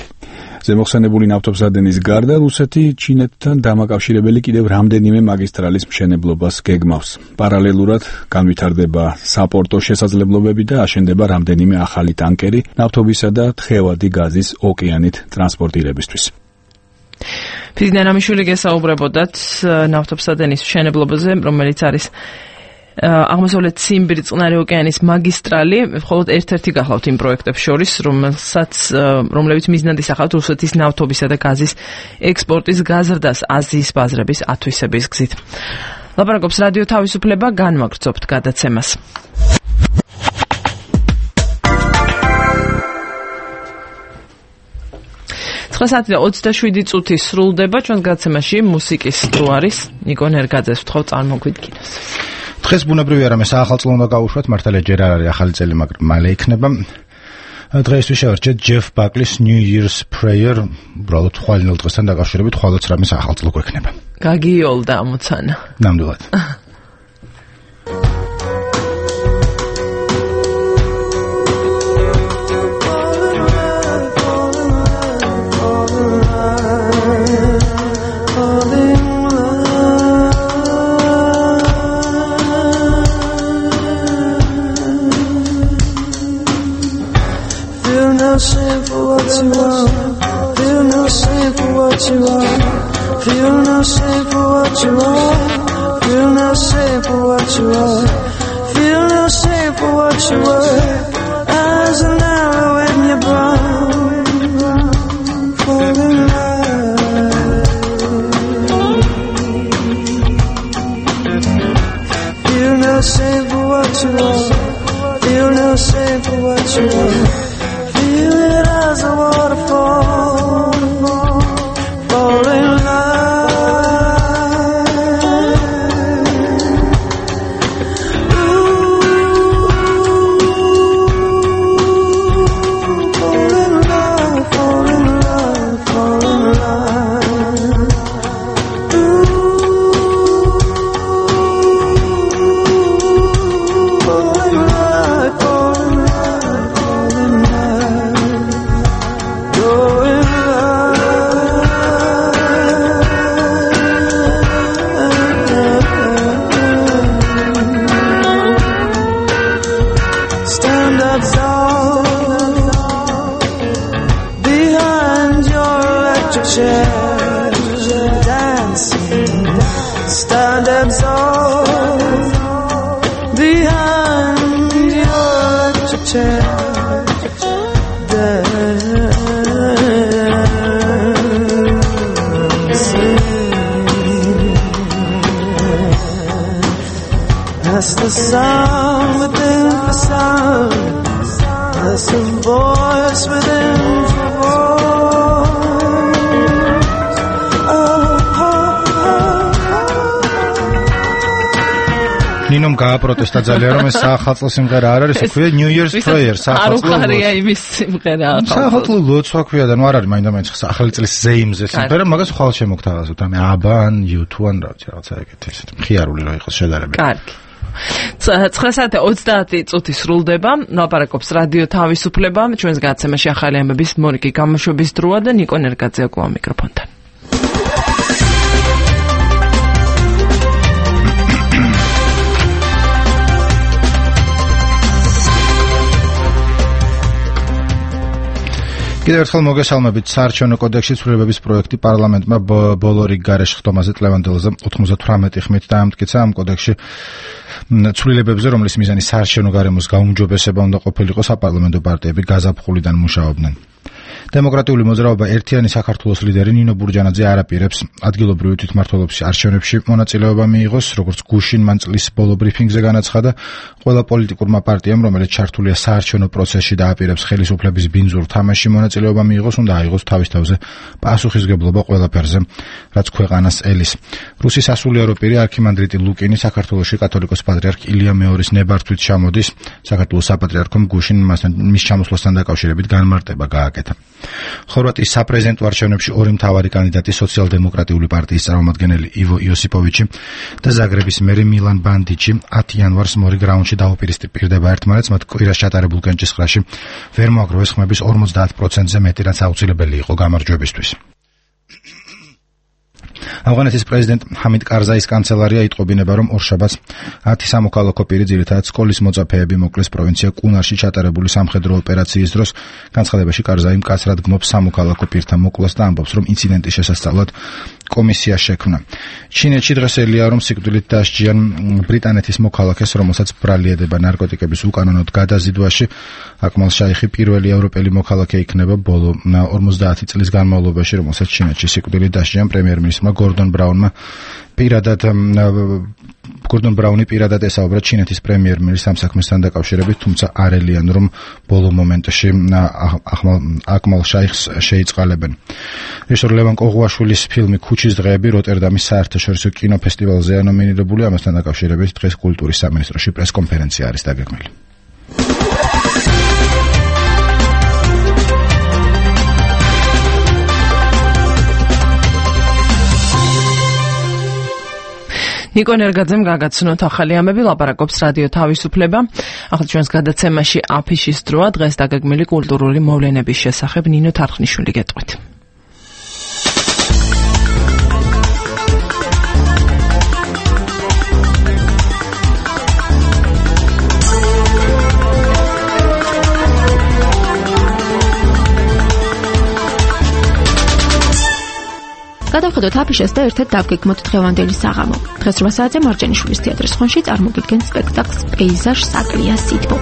ზემოხსენებული ნავთობსადენის გარდა რუსეთი ჩინეთთან დამაკავშირებელი კიდევ რამდენიმე მაგისტრალის მშენებლობას გეგმავს. პარალელურად განვითარდება საპორტო შესაძლებლობები და აშენდება რამდენიმე ახალი ტანკერი ნავთობისა და თხევადი გაზის ოკეანით ტრანსპორტირებისთვის. ფიზინა რამიშვილი გესაუბრებოდათ ნავთობსადენის მშენებლობაზე, რომელიც არის აღმოსავლეთ ციმბირი წყნარი ოკეანის მაგისტრალი, მხოლოდ ერთ-ერთი გახლავთ იმ პროექტებს შორის, რომლებიც მიზნად ისახავთ რუსეთის ნავთობისა და გაზის ექსპორტის გაზრდას აზიის ბაზრების ათვისების გზით. ლაპარაკობს რადიო თავისუფლება, განვაგრძობთ გადაცემას. საათი და 27 წუთი სრულდება ჩვენს გადაცემაში მუსიკის დრო არის. ნიკო ნერგაძეს ვთხოვ წარმოგვიდგინოს. დღეს ბუნებრივია რომ საახალწლო უნდა გავუშვათ, მართალია ჯერ არ არის ახალი წელი, მაგრამ მალე იქნება. დღეისთვის შევარჩეთ ჯეფ ბაკლის New Year's Prayer, უბრალოდ ხვალინელ დღესთან დაკავშირებით ხვალაც რამე საახალწლო გვექნება. გაგიოლდა ამოცანა. ნამდვილად. Feel no shame for what you are. Feel no shame for what you are. Feel no shame for what you were. As an arrow in your brown, fall in love. Feel no shame for what you are. Feel no shame for what you are. Feel it as a waterfall. Fall in That's the sound within the sound. That's the voice within the voice. კინომ გააპროტესტა ძალიან რომ ეს საახალწლო სიმღერა არ არის, ქვია New Year's Prayer, საახალწლო. არ უხარია იმის სიმღერა. საახალწლო ლოცვა ქვია და ნუ არ არის მაინდა-მაინც ახალი წლის ზეიმზე სიმღერა, მაგას ხვალ შემოგთავაზოთ. ან აბან U2 ან რაღაცა ეგეთი ესეთი მხიარული რა იყოს შედარებით. კარგი. 9:30 წუთი სრულდება. ნაპარაკობს რადიო თავისუფლება. ჩვენს გადაცემაში ახალი ამბების მორიგი გამოშვების დროა და ნიკო ნერგაძე აქვს მიკროფონთან. კიდევ ერთხელ მოგესალმებით. საარჩევნო კოდექსის ცვლილებების პროექტი პარლამენტმა ბოლო რიგ გარეშე ხტომაზე ტლევანდელზე 98 ხმით დაამტკიცა. ამ კოდექსში ცვლილებებზე, რომლის მიზანი საარჩევნო გარემოს გაუმჯობესება უნდა ყოფილიყო, საპარლამენტო პარტიები გაზაფხულიდან მუშაობდნენ. დემოკრატიული მოძრაობა ერთიანი საქართველოს ლიდერი ნინო ბურჯანაძე არ აპირებს ადგილობრივი თვითმმართველობის არჩევნებში მონაწილეობა მიიღოს, როგორც გუშინ მან წლის ბოლო ბრიფინგზე განაცხადა. ყველა პოლიტიკურმა პარტიამ, რომელიც ჩართულია საარჩევნო პროცესში და აპირებს ხელისუფლების ბინძურ თამაშში მონაწილეობა მიიღოს, უნდა აიღოს თავის თავზე პასუხისგებლობა ყველაფერზე, რაც ქვეყანას ელის. რუსის სასულიერო პირი არქიმანდრიტი ლუკინი საქართველოში კათოლიკოს პატრიარქ ილია მეორის ნებართვით ჩამოდის. საქართველოს საპატრიარქომ გუშინ მის ჩამოსვლასთან დაკავშირებით განმარტება გააკეთა. ხორვატიის საპრეზიდენტო არჩევნებში ორი მთავარი კანდიდატი სოციალ-დემოკრატიული პარტიის წარმომადგენელი ივო იოსიპოვიჩი და ზაგრების მერი მილან ბანდიჩი 10 იანვარს მორიგ რაუნდში დაუპირისპირდება ერთმანეთს. მათ კვირას ჩატარებულ კენჭისყრაში ვერ მოაგროვეს ხმების 50%-ზე მეტი, რაც აუცილებელი იყო გამარჯვებისთვის. ავღანეთის პრეზიდენტ ჰამიდ კარზაის კანცელარია იტყობინება, რომ ორშაბათს 10 სამოქალაქო პირი, ძირითადად სკოლის მოწაფეები, მოკლეს პროვინცია კუნარში ჩატარებული სამხედრო ოპერაციის დროს. განცხადებაში კარზაი მკაცრად გმობს სამოქალაქო პირთა მოკლას და ამბობს, რომ ინციდენტის შესასწავლად კომისია შექმნა. ჩინეთში დღეს ელია, რომ სიკვდილით დასჯიან ბრიტანეთის მოქალაქეს, რომელსაც ბრალieდება ნარკოტიკების უკანონოდ გადაზიდვაში. აკმალ შაიხი პირველი ევროპელი მოქალაქე იქნება ბოლო 50 წლის განმავლობაში, რომელსაც ჩინეთში სიკვდილით დასჯიან. პრემიერ-მინისტრმა გორდონ ბრაუნი პირადად ესაუბრა ჩინეთის პრემიერ-მინისტრს ამ საქმესთან დაკავშირებით, თუმცა არ ელიან, რომ ბოლო მომენტში აკმალ შაიხს შეიწყალებენ. რეჟისორ ლევან კოღუაშვილის ფილმი ქუჩის დღეები როტერდამის საერთაშორისო კინოფესტივალზეა ნომინირებული. ამასთან დაკავშირებით დღეს კულტურის სამინისტროში პრესკონფერენცია არის დაგეგმილი. ნიკო ნერგაძემ გაგაცნოთ ახალი ამბები, ლაპარაკობს რადიო თავისუფლება. ახლა ჩვენს გადაცემაში აფიშის დროა, დღეს დაგეგმილი კულტურული მოვლენების შესახებ ნინო თარხნიშვილი გეტყვით. გადავხედოთ აფიშას და ერთად დავგეგმოთ დღევანდელი საღამო. დღეს 8 საათზე მარჯანიშვილის თეატრის ხონში წარმოგიდგენს სპექტაკლს პეიზაჟ საკლია სითბო.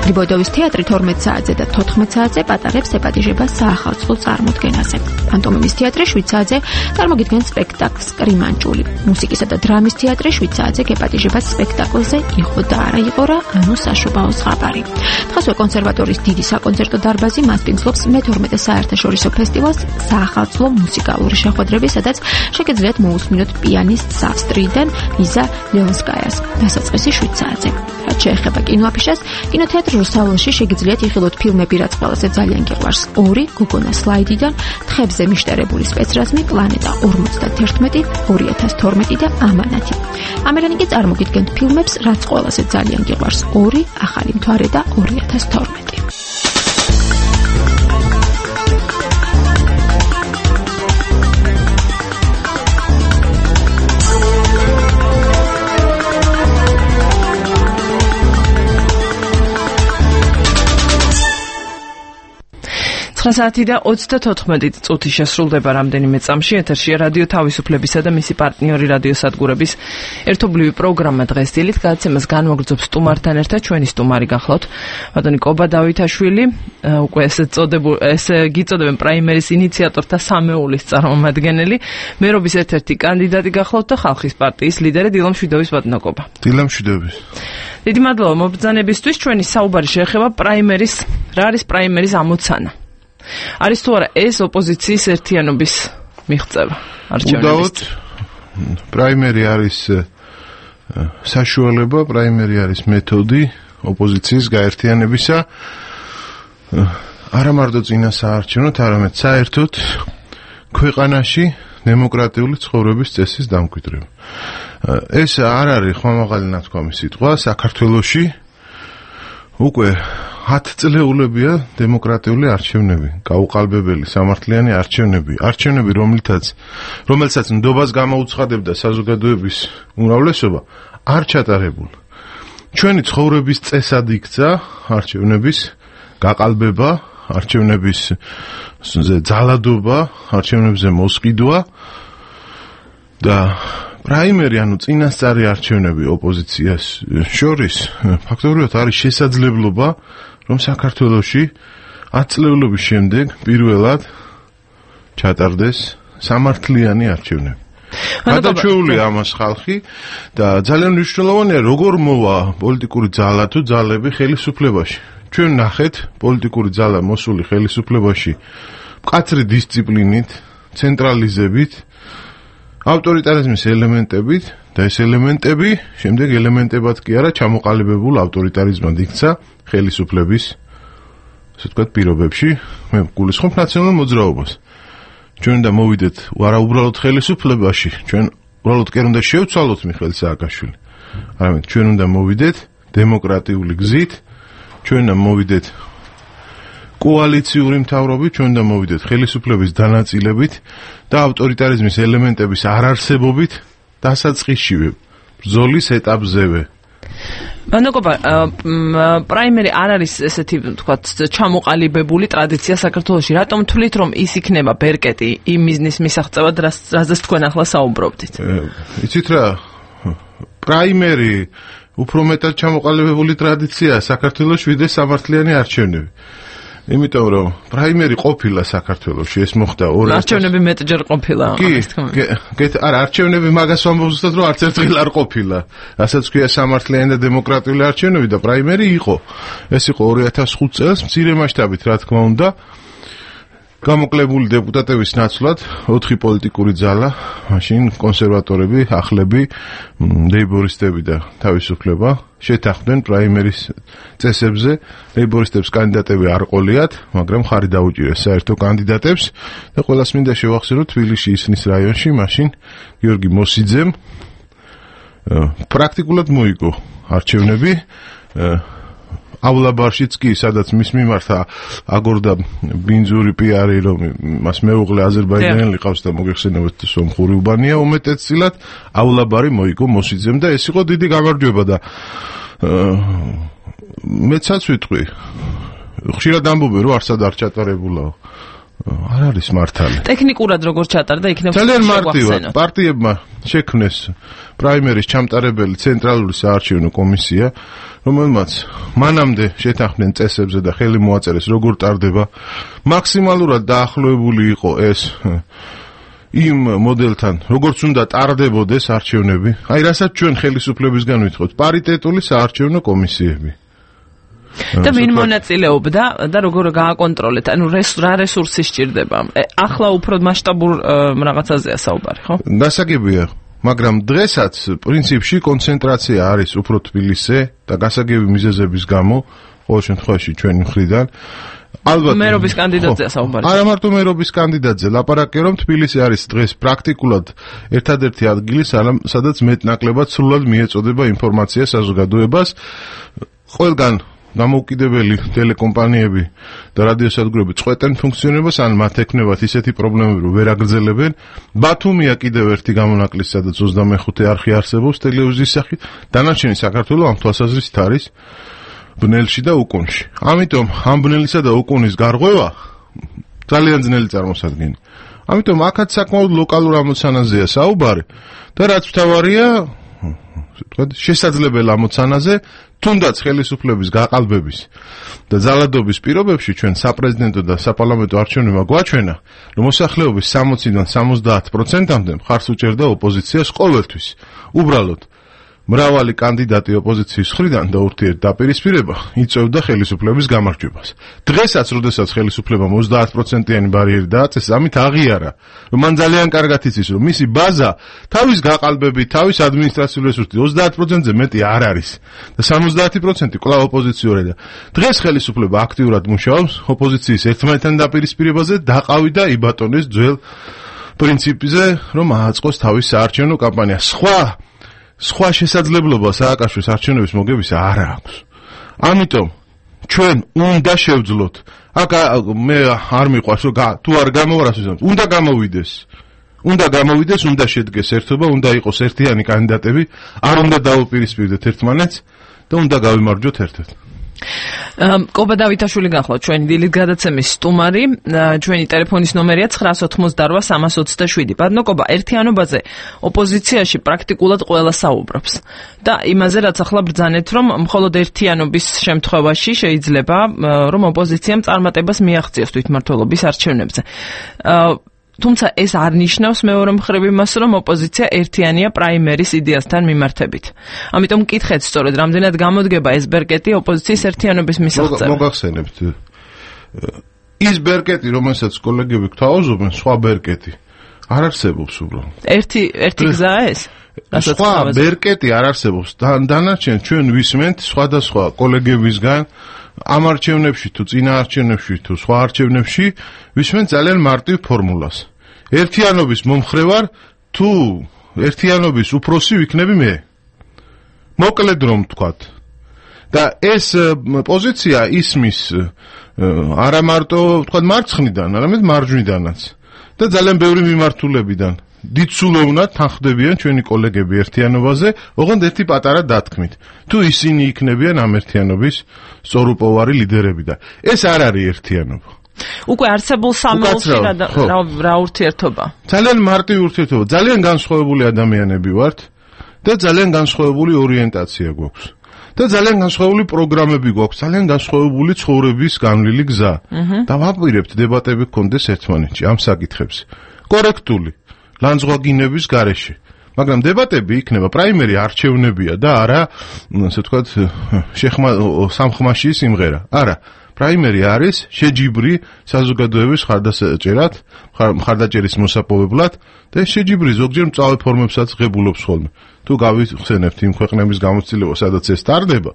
გრიბოიდოვის თეატრი 12 საათზე და 14 საათზე პატარებს ეპატიჟებას საახალწლო წარმოდგენაზე. პანტომიმის თეატრი 7 საათზე წარმოგიდგენს სპექტაკლს კრიმანჭული. მუსიკისა და დრამის თეატრი 7 საათზე ეპატიჟებას სპექტაკლზე იყო და არა იყო რა, ანუ საშობაო ზღაპარი. დღესვე კონსერვატორიის დიდი საკონცერტო დარბაზი მასპინძლობს მე-12 საერთაშორისო ფესტივალს საახალწლო მუსიკალური შეხვედრების, სადაც შეგეძლიათ მოусმინოთ პიანისტ ავსტრიიდან იზა ლეონსკაიას დასაწყისი 7 საათზე. რაც შეეხება კინოაფიშას, კინოთეატრ რუსთაველში შეგეძლიათ იხილოთ ფილმები, რაც ყველაზე ძალიან გიყვარს. 2 გოგონა სლაიდიდან, თხებზე მიშტერებული სპეცრაზმი, პლანეტა 51, 2012 და ამანათი. ამერანი კი წარმოგიდგენთ ფილმებს, რაც ყველაზე ძალიან გიყვარს. 2 ახალი მთვარე და 2012. საათი და 34 წუთი შესრულდება რამდენიმე წამში. ეთერშია რადიო თავისუფლებისა და მისი პარტნიორი რადიოსადგურების ერთობლივი პროგრამა დღეს დილით. გადაცემას განმოგრძობს სტუმართან ერთად ჩვენი სტუმარი გახლავთ ბატონი კობა დავითაშვილი, უკვე ესე გიწოდებენ პრაიმერის ინიციატორთა სამეულის წარმომადგენელი, მერობის ერთ-ერთი კანდიდატი გახლავთ და ხალხის პარტიის ლიდერი დილა მშვიდობის ბატონო კობა. დილა მშვიდობის. დიდი მადლობა მობრძანებისთვის. ჩვენი საუბარი შეეხება პრაიმერის. რა არის პრაიმერის ამოცანა? არის თუ არა ეს ოპოზიციის ერთიანობის მიღწევა არჩევნების? უდაოდ პრაიმერი არის საშუალება, პრაიმერი არის მეთოდი ოპოზიციის გაერთიანებისა არა მარტო წინასაარჩევნოდ, არამედ საერთოდ ქვეყანაში დემოკრატიული ცხოვრების წესის დამკვიდრება. ეს არ არის ხმამაღალი ნათქვამი სიტყვა, საქართველოში უკვე 10 წლეულებია დემოკრატიული არჩევნები, გაუყალბებელი სამართლიანი არჩევნები, რომელსაც ნდობას გამოუცხადებდა საზოგადოების უმრავლესობა, არ ჩატარებულა. ჩვენი ცხოვრების წესად იქცა არჩევნების გაყალბება, არჩევნების ძალადობა, არჩევნებზე მოსყიდვა და პრაიმერი, ანუ წინასწარი არჩევნები ოპოზიციას შორის ფაქტობრივად არის შესაძლებლობა, რომ საქართველოში 10 წლეულობის შემდეგ პირველად ჩატარდეს სამართლიანი არჩევნები. გადაჩეულია ამას ხალხი და ძალიან მნიშვნელოვანია, როგორ მოვა პოლიტიკური ძალა თუ ძალები ხელისუფლებაში. ჩვენ ნახეთ პოლიტიკური ძალა მოსული ხელისუფლებაში მკაცრი დისციპლინით, ცენტრალიზებით, ავტორიტარიზმის ელემენტებით და ეს ელემენტები შემდეგ ელემენტებად კი არა ჩამოყალიბებულ ავტორიტარიზმად იქცა ხელისუფლების, ასე ვთქვათ, პირობებში. მე გულისხმობ ნაციონალურ მოძრაობას. ჩვენ უნდა მოვიდეთ არა უბრალოდ ხელისუფლებაში, ჩვენ უბრალოდ კი არ უნდა შევცვალოთ მიხეილ სააკაშვილი, არამედ ჩვენ უნდა მოვიდეთ დემოკრატიული გზით, ჩვენ უნდა მოვიდეთ კოალიციური მთავრობით, ჩვენ უნდა მოვიდეთ ხელისუფლების დანაწილებით და ავტორიტარიზმის ელემენტების არარსებობით დასაწყისშივე ბრძოლის ეტაპზევე. მანოკობა, პრაიმერი არ არის ესეთი, თქვათ, ჩამოყალიბებული ტრადიცია საქართველოში. რატომ თვლით, რომ ის იქნება ბერკეტი იმ მიზნის მისაღწევად, რაზეც თქვენ ახლა საუბრობდით? იცით რა, პრაიმერი უფრო მეტად ჩამოყალიბებული ტრადიციაა საქართველოში, ვიდრე სამართლიანი არჩევნები. იმიტომ რომ პრაიმერი ყოფილა საქართველოში, ეს მოხდა 2000. არჩევნები მეტჯერ ყოფილა. არა, არჩევნები მაგას ვამბობ ზუსტად, რომ არც ერთხელ არ ყოფილა. რასაც ქვია სამართლიანი და დემოკრატიული არჩევნები და პრაიმერი იყო. ეს იყო 2005 წელს მცირე მასშტაბით, რა თქმა უნდა. გამოკლებული დეპუტატების ნაცვლად 4 პოლიტიკური ძალა, მაშინ კონსერვატორები, ახლები, ლეიბორისტები და თავისუფლება შეთანხმდნენ პრაიმერის წესებზე. ლეიბორისტებს კანდიდატები არ ყოლიათ, მაგრამ ხარი დაუჭირეს საერთო კანდიდატებს და ყველას მინდა შევახსენოთ თბილისში ისნის რაიონში, მაშინ გიორგი მოსიძემ პრაქტიკულად მოიგო არჩევნები. ავლაბარშიც კი, სადაც მის მიმართ აგორდა ბინძური პიარი, რომ მას მეუღლე აზერბაიჯანელი ყავს და მოგეხსენებათ სომხური უბანია უმეტესწილად, ავლაბარი მოიგო მოსიძემ და ეს იყო დიდი გამარჯვება და მეცაც ვიტყვი, ხშირად ამბობენ, რომ არსად არ ჩატარებულაო. არ არის მართალი. ტექნიკურად როგორ ჩატარდა, იქნებ ძალიან მარტივად პარტიებმა შექმნეს პრაიმერის ჩამტარებელი ცენტრალური საარჩევნო კომისია, რომელმაც მანამდე შეთანხმდნენ წესებზე და ხელი მოაწერეს, როგორ ტარდება. მაქსიმალურად დაახლოებული იყო ეს იმ მოდელთან, როგორც უნდა ტარდებოდეს არჩევნები. აი, რასაც ჩვენ ხელისუფლებისგან ვითხოვთ, პარიტეტული საარჩევნო კომისიები. და ვინ მონაწილეობდა და როგორ გააკონტროლეთ? ანუ რა რესურსი სჭირდება? ახლა უფრო მასშტაბურ რაღაცაზეა საუბარი, ხო? გასაგებია, მაგრამ დღესაც პრინციპში კონცენტრაცია არის უფრო თბილისზე და გასაგები მიზეზების გამო, ყოველ შემთხვევაში ჩვენი მხრიდან ალბათ მერობის კანდიდატზეა საუბარი. არა მარტო მერობის კანდიდატზე, ლაპარაკია რომ თბილისი არის დღეს პრაქტიკულად ერთადერთი ადგილი, სადაც მეტნაკლებად სრულად მიეწოდება ინფორმაცია საზოგადოებას. ყველგან დამოუკიდებელი ტელეკომპანიები და რადიოსადგურები წყვეტენ ფუნქციონირებას, ან მათ ექნებათ ისეთი პრობლემები, რომ ვერ აგრძელებენ. ბათუმია კიდევ ერთი გამონაკლისი, სადაც 25 არხი არსებობს ტელევიზიის სახით. დანარჩენი საქართველო ამ თვალსაზრისით არის ბნელში და უკუნში. ამიტომ ამ ბნელისა და უკუნის გარღვევა ძალიან ძნელი წარმოსადგენია. ამიტომ აქაც საკმაოდ ლოკალურ ამოცანაზეა საუბარი და რაც მთავარია, შესაძლებელ ამოცანაზე, თუნდაც ხელისუფლების გაყალბების და ძალადობის პირობებში ჩვენ საპრეზიდენტო და საპარლამენტო არჩევნებმა გვაჩვენა, რომ მოსახლეობის 60-დან 70%-მდე მხარს უჭერდა ოპოზიციას ყოველთვის. უბრალოდ მრავალი კანდიდატი ოპოზიციის მხრიდან და ურთიერთდაპირისპირება იწევდა ხელისუფლების გამარჯვებას. დღესაც, როდესაც ხელისუფლებამ 30%-იანი ბარიერი დააწეს, ამით აღიარა, რომ მან ძალიან კარგად იცის, რომ მისი ბაზა თავის გაყალბებით, თავის ადმინისტრაციულ რესურსით 30%-ზე მეტი არ არის და 70% კვლავ ოპოზიციურია. დღეს ხელისუფლება აქტიურად მუშაობს ოპოზიციის ერთმანეთთან დაპირისპირებაზე, დაყავი და იბატონეს ძველ პრინციპზე, რომ ააწყოს თავის საარჩევნო კამპანია. სხვა შესაძლებლობა სააკაშვილის არჩევნების მოგებისა არ აქვს. ამიტომ ჩვენ უნდა შევძლოთ. აქ მე არ მიყვარს რომ თუ არ გამოვარას, უნდა გამოვიდეს. უნდა შედგეს ერთობა, უნდა იყოს ერთიანი კანდიდატები, არ უნდა დაუპირისპირდეთ ერთმანეთს და უნდა გავიმარჯვოთ ერთ-ერთ. კობა დავითაშვილი გახლავთ ჩვენი დილით გადაცემის სტუმარი, ჩვენი ტელეფონის ნომერია 988-327. ბატონო კობა, ერთიანობაზე ოპოზიციაში პრაქტიკულად ყველა საუბრობს და იმაზე რაც ახლა ბრძანეთ, რომ მხოლოდ ერთიანობის შემთხვევაში შეიძლება რომ ოპოზიციამ წარმატებას მიაღწიოს თვითმმართველობის არჩევნებზე. თუმცა ეს არ ნიშნავს მეორე მხრივ იმას, რომ ოპოზიცია ერთიანია პრაიმერის იდეასთან მიმართებით. ამიტომ მკითხეთ სწორედ, რამდენად გამოდგება ეს ბერკეტი ოპოზიციის ერთიანობის მისაღწევად. მოგახსენებთ. ის ბერკეტი, რომელსაც კოლეგები გთავაზობენ, სხვა ბერკეტი არ არსებობს უბრალოდ. ერთი გზაა ეს? სხვა ბერკეტი არ არსებობს. დანარჩენ ჩვენ ვისმენთ სხვადასხვა კოლეგებისგან ამ არჩევნებში თუ წინა არჩევნებში თუ სხვა არჩევნებში ვისმენთ ძალიან მარტივ ფორმულას. ერთიანობის მომხრევარ თუ ერთიანობის უფროსი ვიქნები მე. მოკლედ რომ ვთქვათ. და ეს პოზიცია ისმის არა მარტო ვთქვათ მარცხნიდან, არამედ მარჯვნიდანაც და ძალიან ბევრი მიმართულებიდან. დიდსულოვნად თანხდებიან ჩვენი კოლეგები ერთიანობაზე, ოღონდ ერთი პატარა დათქმით. თუ ისინი იქნებიან ამ ერთიანობის სწორუპოვარი ლიდერები და ეს არ არის ერთიანობა. უკვე არსებულ სამეულში რა ურთიერთობა? ძალიან მარტივი ურთიერთობა. ძალიან განსხვავებული ადამიანები ვართ და ძალიან განსხვავებული ორიენტაცია გვაქვს. და ძალიან განსხვავებული პროგრამები გვაქვს, ძალიან განსხვავებული ცხოვრების განვლილი გზა. და ვაპირებთ დებატები გქონდეს ერთმანეთში ამ საკითხებზე. კორექტული ლანძღვაგინების გარეშე. მაგრამ დებატები იქნება პრაიმერი არჩევნებია და არა, ასე ვთქვათ, სამხმაში სიმღერა. არა, პრაიმერი არის შეჯიბრი საზოგადოების მხარდაჭერის მოსაპოვებლად და შეჯიბრი ზოგჯერ მწვავე ფორმებსაც ღებულობს ხოლმე. თუ გავიხსენებთ იმ ქვეყნების გამოცდილება, სადაც ეს ტარდება,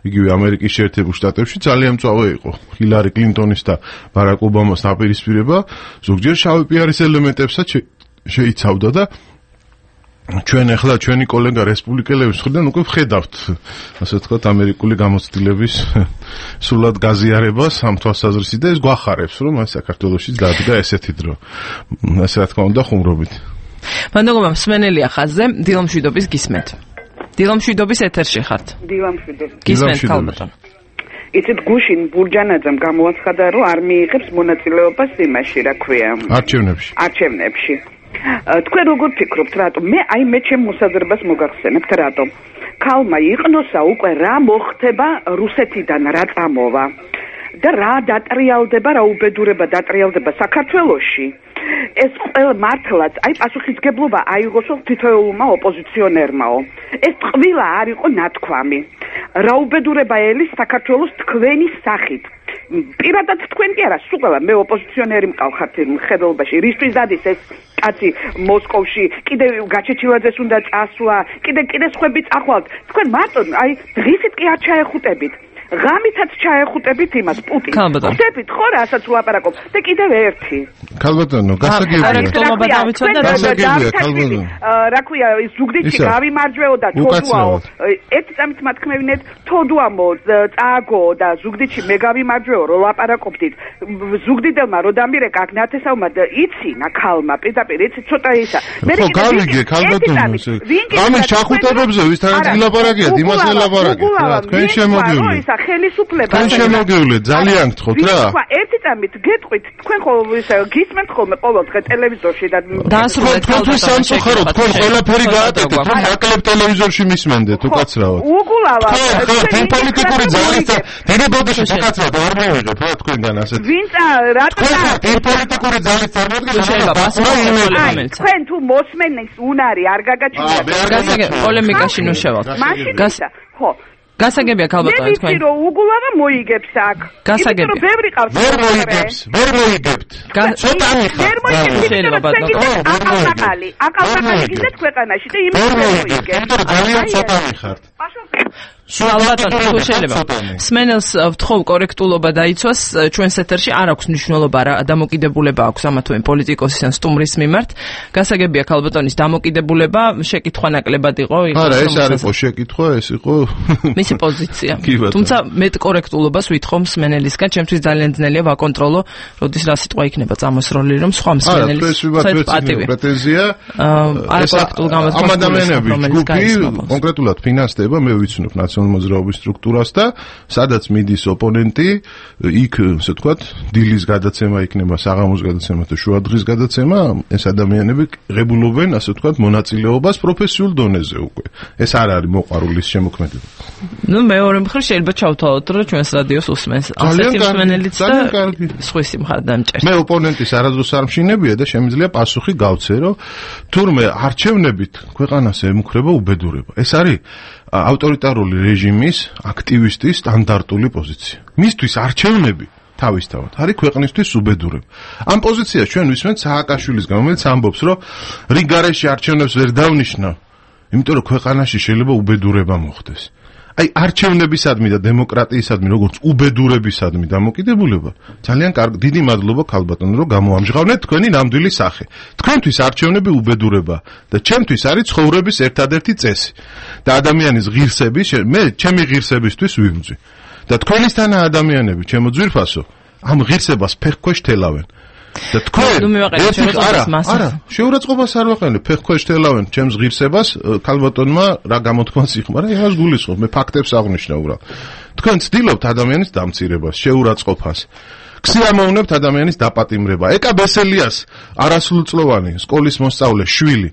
იგივე ამერიკის შეერთებულ შტატებში ძალიან მწვავე იყო ჰილარი კლინტონის და ბარაკ ობამას დაპირისპირება, ზოგჯერ შავი პიარის ელემენტებსაც შეიცავდა და ჩვენ ახლა ჩვენი კოლეგა რესპუბლიკელების მხრიდან უკვე ვხედავთ, ასე ვთქვათ, ამერიკული გამოცდილების სრულად გაზიარებას ამ თვალსაზრისით და ეს გვახარებს, რომ აი საქართველოშიც დადგა ესეთი დრო. ასე რა თქმა უნდა ხუმრობით. მანდოგობა მსმენელია ხაზზე, დილამშვიდობის გისმენთ. დილამშვიდობის ეთერში ხართ. დილამშვიდობის. გისმენთ ქალბატონ. იცით გუშინ ბურჯანაძემ გამოაცხადა, რომ არ მიიღებს მონაწილეობას იმაში, რა ქვია, არჩევნებში. თქვენ როგორ ფიქრობთ, რატომ? მე ჩემ მოსაზრებას მოგახსენებთ, რატომ? ქალმა იყნოსა უკვე რა მოხდება რუსეთიდან, რა წამოვა და რა დატრიალდება, რა უბედურება დატრიალდება საქართველოში. ეს ყველა მართლაც, პასუხისგებლობა აიღოსო თითოეულმა ოპოზიციონერმაო. ეს ტყვილა არ იყო ნათქვამი. რა უბედურება ელის საქართველოს თქვენი სახით. პირადად თქვენ კი არა, სულ ყველა მე ოპოზიციონერი მყავხართ მხედველობაში. რისთვის დადის ეს კაცი მოსკოვში, კიდე გაჩეჩილაძეს უნდა წასვლა, კიდე სხვები წახვალთ. თქვენ მარტო დღისით კი არ ჩაეხუტებით. ღამითაც ჩაეხუტებით იმას პუტინს. ხდებით ხო რა ასაც ვლაპარაკობ და კიდევ ერთი. ქალბატონო, გასაგებია. რა ქვია, ზუგდიდში გავიმარჯვეო და თოდუაო. ერთი წამით მათქმევინეთ, თოდუამო წააგო და ზუგდიდში მე გავიმარჯვეო, რო ლაპარაკობდით. ზუგდიდელმა რო დამირეკა აქ ნათესავმა და იცინა ქალმა, პირდაპირ იცი ცოტა ისა. ხო, გავიგე ქალბატონო. ამის ჩახუტებებზე ვისთანაც გილაპარაკიათ, იმას ელაპარაკეთ. თქვენ შემოდივნე. ხელისუფლება. თქვენ შემოგივლეთ, ძალიან გთხოვთ რა. თქვა ერთი წამით გეტყვით, თქვენ ხოლმე გისმენთ ხოლმე ყოველდღე ტელევიზორში და დაასრულეთ თქვენ სამწუხაროდ თქვენ ყველაფერი გააკეთეთ, რომ ნაკლებ ტელევიზორში მისმენდეთ, უკაცრავად. უგულავა. თქვენ პოლიტიკური ძალით დიდი ბოდიში უკაცრავად არ მივიღეთ რა თქვენგან ასეთ. ვინც რატომ პოლიტიკური ძალით წარმოადგენთ? თქვენ თუ მოსმენის უნარი არ გაგაჩნიათ. გასაგებია პოლემიკაში ნუ შევალთ. ხო. გასაგებია ქალბატონო თქვენ. მე ვიცი რომ უგულავა მოიგებს აქ. გასაგებია. იმიტომ რომ ბევრი ყავს. ვერ მოიგებთ. ცოტა აკალთაკალი გინდათ ქვეყანაში და იმით მოიგებს. იმიტომ რომ ძალიან ცოტა მიხართ. ალბათ თუ შეიძლება სმენელს ვთხოვ კორექტულობა დაიცვას ჩვენს ეთერში არ აქვს მნიშვნელობა რა დამოკიდებულება აქვს ამა თუ იმ პოლიტიკოსის ან სტუმრის მიმართ გასაგებია ქალბატონის დამოკიდებულება შეკითხვა ნაკლებად იყო არა ეს არ იყო შეკითხვა ეს იყო მისი პოზიცია თუმცა მეტ კორექტულობას ვითხოვ სმენელისგან ჩემთვის ძალიან ძნელია ვაკონტროლო როდის რა სიტყვა იქნება წამოსროლილი რომ სხვა სმენელის პრეტენზია არ კორექტულ გამოდგა ამ ადამიანების ჯგუფი კონკრეტულად ფინანსდება მე ვიცნობ მოძრაობის სტრუქტურას და სადაც მიდის ოპონენტი, იქ, ასე ვთქვათ, დილის გადაცემა იქნება, საღამოს გადაცემა და შუადღის გადაცემა, ეს ადამიანები ღებულობენ, ასე ვთქვათ, მონაწილეობას პროფესიულ დონეზე უკვე. ეს არ არის მოყვარულის შემოქმედება. ნუ მეორე მხრივ შეიძლება ჩავთვალოთ, რომ ჩვენს რადიოს უსმენს. ასეთი მსმენელიც და სხვისი მხარდ დამჭერს. მე ოპონენტის არადროს არ მშინებია და შემიძლია პასუხი გავცე, რომ თურმე არჩევნებით ქვეყანას ემუქრება უბედურება. ეს არის ავტორიტარული რეჟიმის აქტივისტის სტანდარტული პოზიცია. მისთვის არჩევნები თავისთავად არის ქვეყნისთვის უბედურება. ამ პოზიციას ჩვენ ვისმენთ სააკაშვილისგან, რომელიც ამბობს, რომ რიგ გარეშე არჩევნებს ვერ დავნიშნავ, იმიტომ რომ ქვეყანაში შეიძლება უბედურება მოხდეს. აი არჩევნებისადმი და დემოკრატიისადმი როგორც უბედურებისადმი დამოკიდებულება ძალიან კარგი დიდი მადლობა ქალბატონო რომ გამოამჟღავნეთ თქვენი ნამდვილი სახე თქვენთვის არჩევნები უბედურება და ჩემთვის არის ცხოვრების ერთადერთი წესი და ადამიანის ღირსები მე ჩემი ღირსებისთვის ვიბრძვი და თქვენისთანა ადამიანები ჩემო ძვირფასო ამ ღირსებას ფეხქვეშ თელავენ და თქვენ არა შეურაცხყოფას არ ვაყენებ ფეხქვეშ თელავენ ჩემს ღირსებას ქალბატონმა რა გამოთქმას იხმარა იმას გულისხმობ მე ფაქტებს აღნიშნა უბრალოდ თქვენ ცდილობთ ადამიანის დამცირებას შეურაცხყოფას ქსიამოვნებთ ადამიანის დაპატიმრება ეკა ბესელიას არასრულწლოვანი სკოლის მოსწავლე შვილი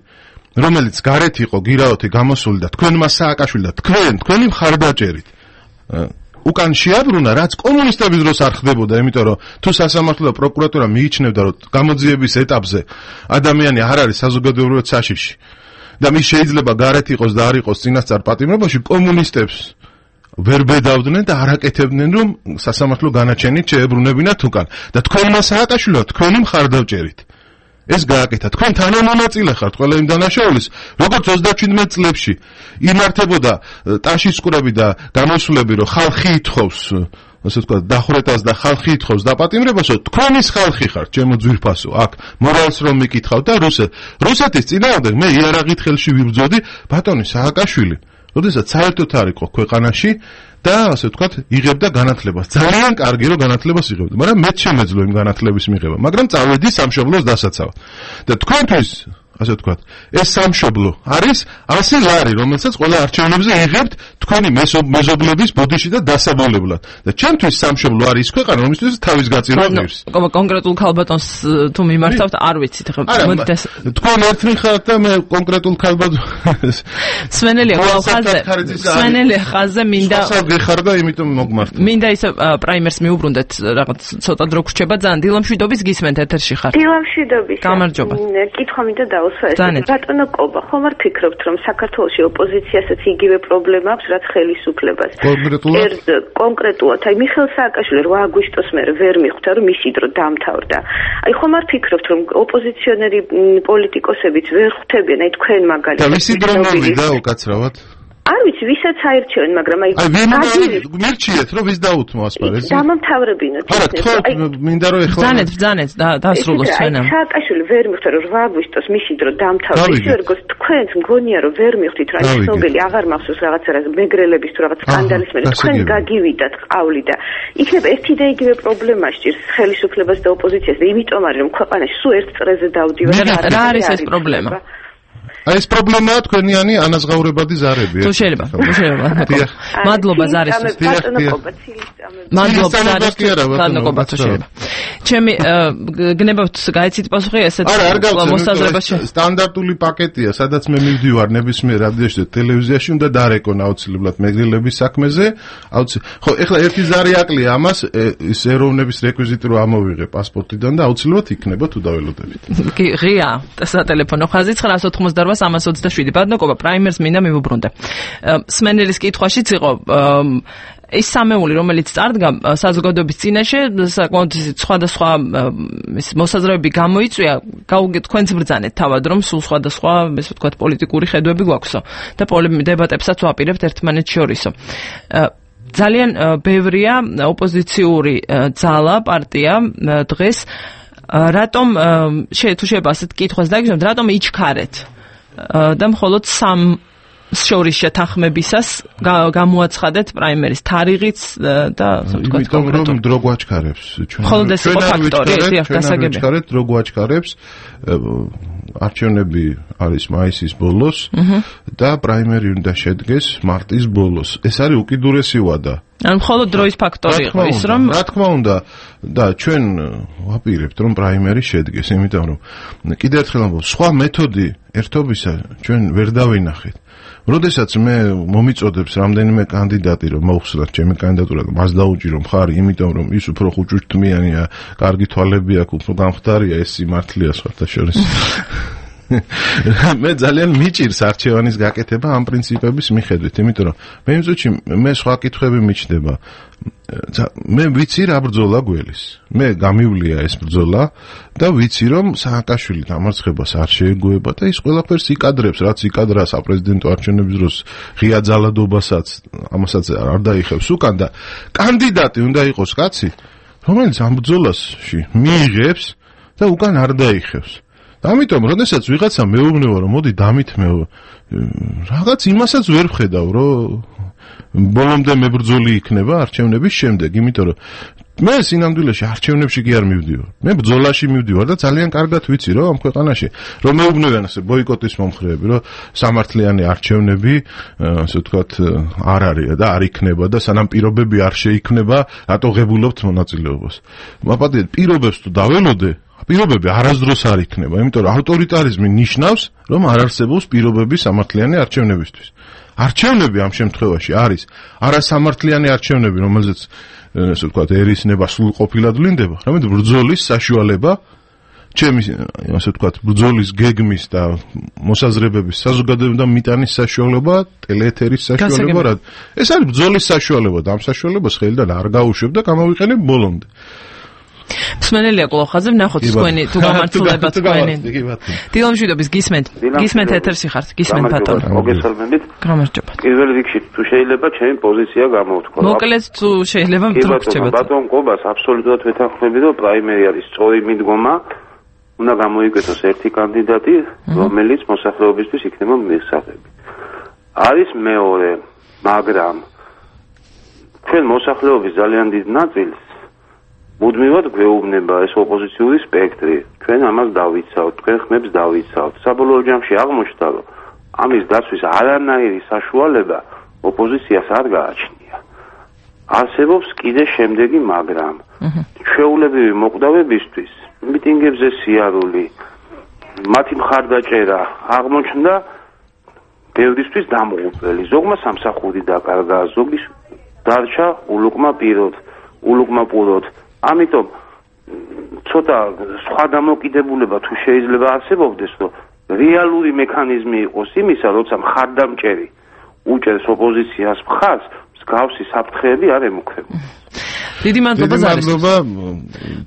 რომელიც გარეთ იყო გირაოთი გამოსული და თქვენმა სააკაშვილი და თქვენი მხარდაჭერით უკან შეაბრუნა რაც კომუნისტების დროს არ ხდებოდა იმიტომ რომ თუ სასამართლო და პროკურატურა მიიჩნევდა რომ გამოძიების ეტაპზე ადამიანი არ არის საზოგადოებრივად საშიში და მის შეიძლება გარეთ იყოს და არ იყოს წინასწარ პატიმრობაში კომუნისტებს ვერ ბედავდნენ და არ აკეთებდნენ რომ სასამართლო განაჩენით შეებრუნებინათ უკან და თქვენმა სააკაშვილო თქვენი მხარდაჭერით ეს გააკეთა თქვენ თანამონაწილე ხართ ყველა იმ დანაშაულის როგორც 37 წლებში იმართებოდა ტაშის ყურები და გამოსვლები რომ ხალხი ითხოვს ასე ვთქვათ დახვრეტას და ხალხი ითხოვს დაპატიმრებასო თქვენის ხალხი ხართ ჩემო ძვირფასო აქ მორალს რომ მიკითხავ და რუსეთის წინააღმდეგ მე იარაღით ხელში ვიბრძოდი ბატონი სააკაშვილი როდესაც საერთოდ არ იყო ქვეყანაში და ასე ვთქვათ იღებდა განათლებას ძალიან კარგი რომ განათლებას იღებდა მაგრამ მეც შემეძლო იმ განათლების მიღება მაგრამ წავედი სამშობლოს დასაცავად და თქვენთვის ასე ვთქვათ ეს სამშობლო არის 100 ლარი რომელსაც ყველა არჩევნებზე იღებთ თქვენი მეზობლების ბოდიში და დასაბოლებლად და ჩემთვის სამშობლო არის ის ქვეყანა რომელსაც თავის გაწირვა ღირს კონკრეტულ ქალბატონს თუ მიმართავთ არ ვიცით ხო მოდით თქვენ ერთნი ხართ და მე კონკრეტულ ქალბატონს სვენელია სვენელია ხაზე მინდა გეხარ და იმიტომ მოგმართ მინდა ისე პრაიმერს მიუბრუნდეთ რაღაც ცოტა დრო გრჩება ძალიან დილამშვიდობის გისმენთ ეთერში ხარ დილამშვიდობის გამარჯობა კითხვა მინდა ბატონო კობა ხომ არ ფიქრობთ რომ საქართველოში ოპოზიციასაც იგივე პრობლემა აქვს რაც ხელისუფლებას კონკრეტულად აი მიხეილ სააკაშვილი 8 აგვისტოს მერე ვერ მიხვდა რომ მისი დრო დამთავრდა აი ხომ არ ფიქრობთ რომ ოპოზიციონერი პოლიტიკოსებიც ვერ ხვდებიან აი თქვენ მაგალითად და მისი დრო მოვიდა უკაცრავად არ ვიცი ვისაც აირჩევენ მაგრამ აი მერჩიეთ რომ ვის დაუთმო ასპარეზი დამამთავრებინოთ არა თქვენ მინდა რომ ეხლა ბძანეთ დასრულოს ჩვენამ სააკაშვილი ვერ მიხვდა რომ 8 აგვისტოს მისი დრო დამთავრდა ისე როგორც თქვენს მგონია რომ ვერ მიხვდით რა ცნობილი აღარ მახსოვს რაღაცა მეგრელების თუ რაღაც სკანდალის მერე თქვენ გაგივიდათ ყავლი და იქნება ერთი და იგივე პრობლემა სჭირს ხელისუფლებას და ოპოზიციას და იმიტომ არის რომ ქვეყანაში სულ ერთ წრეზე დავდივართ რა არის ეს პრობლემა აი ეს პრობლემაა თქვენიანი ანაზღაურებადი ზარები. თუ შეიძლება. მადლობა ზარის. მადლობა ზარის. მადლობა თუ შეიძლება. ჩემი გნებავთ გაიცით პასუხი ესეთ მოსაზრებაში. სტანდარტული პაკეტია, სადაც მე მივდივარ ნებისმიერ რადიოში და ტელევიზიაში უნდა დარეკონ აუცილებლად მეგრილების საქმეზე. ხო, ეხლა ერთი ზარი აკლია ამას ის ეროვნების რეკვიზიტი რო ამოვიღე პასპორტიდან და აუცილებლად იქნება თუ დაველოდებით. კი, ღია სატელეფონო ხაზი 988-327. ბადნოკობა პრაიმერს მინდა მივუბრუნდე. სმენელის კითხვაშიც იყო ის სამეული, რომელიც წარდგა საზოგადოების წინაშე, საკმაოდ სხვადასხვა მოსაზრებები გამოიწვია, თქვენც ბრძანეთ თავად, რომ სულ სხვადასხვა, ესე ვთქვათ, პოლიტიკური ხედვები გვაქვსო და დებატებსაც ვაპირებთ ერთმანეთს შორისო. ძალიან ბევრია ოპოზიციური ძალა, პარტია დღეს რატომ თუ შეიძლება ასეთ კითხვას დაგიჟდეთ, რატომ იჩქარეთ და მხოლოდ სამ შორის შეთანხმებისას გამოაცხადეთ პრაიმერის თარიღიც და ასე ვთქვათ კონკრეტულად რომ დრო გვაჩქარებს ჩვენ. მხოლოდ ეს იყო ფაქტორი, დასაგებია. ჩვენ დრო გვაჩქარებს არჩევნები არის მაისის ბოლოს და პრაიმერი უნდა შედგეს მარტის ბოლოს. ეს არის უკიდურესი ვადა. ან მხოლოდ დროის ფაქტორი იყო ის რომ რა თქმა უნდა და ჩვენ ვაპირებთ რომ პრაიმერი შედგეს, იმიტომ რომ კიდევ ერთხელ ამბობ, სხვა მეთოდი ერთობისა ჩვენ ვერ დავინახეთ. როდესაც მე მომიწოდებს რამდენიმე კანდიდატი რომ მოხსნათ ჩემი კანდიდატურა და მას დაუჭირო მხარი, იმიტომ რომ ის უფრო ხუჭუჭთმიანია, კარგი თვალები აქვს, უფრო გამხდარია, ეს სიმართლეა სხვათაშორის. მე ძალიან მიჭირს არჩევანის გაკეთება ამ პრინციპების მიხედვით, იმიტომ რომ მე იმ წუთში მე სხვა კითხვები მიჩნდება. მე ვიცი რა ბრძოლა გველის. მე გამივლია ეს ბრძოლა და ვიცი რომ სააკაშვილი დამარცხებას არ შეეგუება და ის ყველაფერს იკადრებს, რაც იკადრა საპრეზიდენტო არჩევნების დროს ღია ძალადობასაც, ამასაც არ დაიხევს უკან და კანდიდატი უნდა იყოს კაცი, რომელიც ამ ბრძოლაში მიიღებს და უკან არ დაიხევს. ამიტომ, როდესაც ვიღაცა მეუბნება, რომ მოდი დამithმევ, რაღაც იმასაც ვერ ვხედავ, რომ ბოლომდე მებრძოლი იქნება არჩევნების შემდეგ, იმიტომ რომ მე სინამდვილეში არჩევნებში კი არ მივდივარ. მე ბრძოლაში მივდივარ და ძალიან კარგად ვიცი, რომ ამ ქვეყანაში რომ მეუბნებიან ასე ბოიკოტის მომხრეები, რომ სამართლიანი არჩევნები, ასე ვთქვათ, არ არის და არ იქნება და სანამ პირობები არ შეიქმნება, რატო ღებულობთ მონაწილეობას. მაპატიეთ, პირობებს თუ დაველოდე პირობები არასდროს არ იქნება, იმიტომ რომ ავტორიტარიზმი ნიშნავს, რომ არ არსებობს პირობები სამართლიანი არჩევნებისთვის. არჩევნები ამ შემთხვევაში არის არასამართლიანი არჩევნები, რომელზეც ასე ვთქვათ, ერისნება სრულყოფილად ვლინდება, რამედ ბრძოლის საშუალება, ჩემი ასე ვთქვათ, ბრძოლის გეგმის და მოსაზრებების საზოგადოებამ და მიტანის საშუალება, ტელეეთერის საშუალება, ეს არის ბრძოლის საშუალება და ამ საშუალებას ხელიდან არ გაუშვებ და გამოვიყენებ ბოლომდე. მსმენელია კოლოხაზე, ვნახოთ თქვენი თუ გამართულება თქვენი. დილომშვიდობის გისმენთ ეთერში ხართ, გისმენთ ბატონო. მოგესალმებით. გამარჯობა. პირველ რიგში თუ შეიძლება ჩემი პოზიცია გამოვთქვა. მოკლედ თუ შეიძლება მოგრჩებათ. ბატონ ყობას აბსოლუტურად ვეთანხმები, რომ პრაიმერი არის სწორი მიდგომა. უნდა გამოიკვეთოს ერთი კანდიდატი, რომელიც მოსახლეობისთვის იქნება მიღწევები. არის მეორე, მაგრამ ჩვენ მოსახლეობის ძალიან დიდ ნაწილს მუდმივად გვეუბნება ეს ოპოზიციური სპექტრი. ჩვენ ამას დავიცავთ, თქვენ ხმებს დავიცავთ. საბოლოო ჯამში აღმოჩნდა, რომ ამის დაცვის არანაირი საშუალება ოპოზიციას არ გააჩნია. არსებობს კიდე შემდეგი მაგრამ. ჩვეულებრივი მოკვდავებისთვის, მიტინგებზე სიარული, მათი მხარდაჭერა აღმოჩნდა ბევრისთვის დამღუპველი. ზოგმა სამსახური დაკარგა, ზოგის დარჩა ულუკმა პუროთ. ამიტომ ცოტა სხვა დამოკიდებულება თუ შეიძლება არსებობდეს, რომ რეალური მექანიზმი იყოს იმისა, როცა მხარდამჭერი უჭერს ოპოზიციას მხარს, მსგავსი საფრთხეები არ ემუქრებოდეს. დიდი მადლობა ზარის.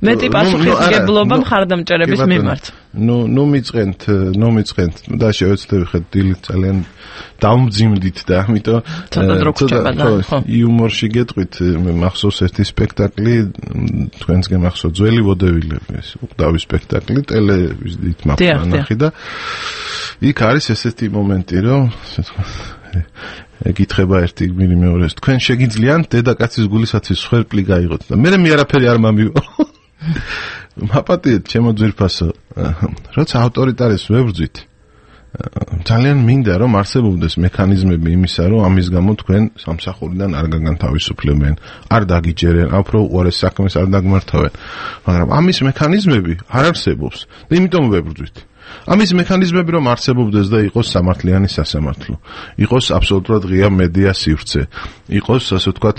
მეტი პასუხისმგებლობა მხარდამჭერების მიმართ. ნუ მიწყენთ და შევეცდები ხეთ დილით ძალიან დამძიმდით და ამიტომ ცოტა იუმორში გეტყვით, მე მახსოვს ერთი სპექტაკლი, თქვენს გემახსოვს ძველი ვოდევილები, ეს უკდავი სპექტაკლი ტელევიზიით მახსოვს და იქ არის ესეთი მომენტი, რომ ეკითხება ერთი გმირი მეორეს, თქვენ შეგიძლიათ დედაკაცის გულისაცის სხერპლი გაიღოთ და მე არაფერი არ მომივა. მაპატიეთ ჩემო ძვირფასო, როცა ავტორიტარიზმს ვებრძვით, ძალიან მინდა რომ არსებობდეს მექანიზმები იმისა, რომ ამის გამო თქვენ სამსახურიდან არ გაგანთავისუფლებენ, არ დაგიჯერენ, უფრო უარეს საქმეს არ დაგმართავენ. მაგრამ ამის მექანიზმები არ არსებობს და იმიტომ ვებრძვით. ამის მექანიზმები რომ არსებობდეს და იყოს სამართლიანი სასამართლო, იყოს აბსოლუტურად ღია მედია სივრცე, იყოს ასე ვთქვათ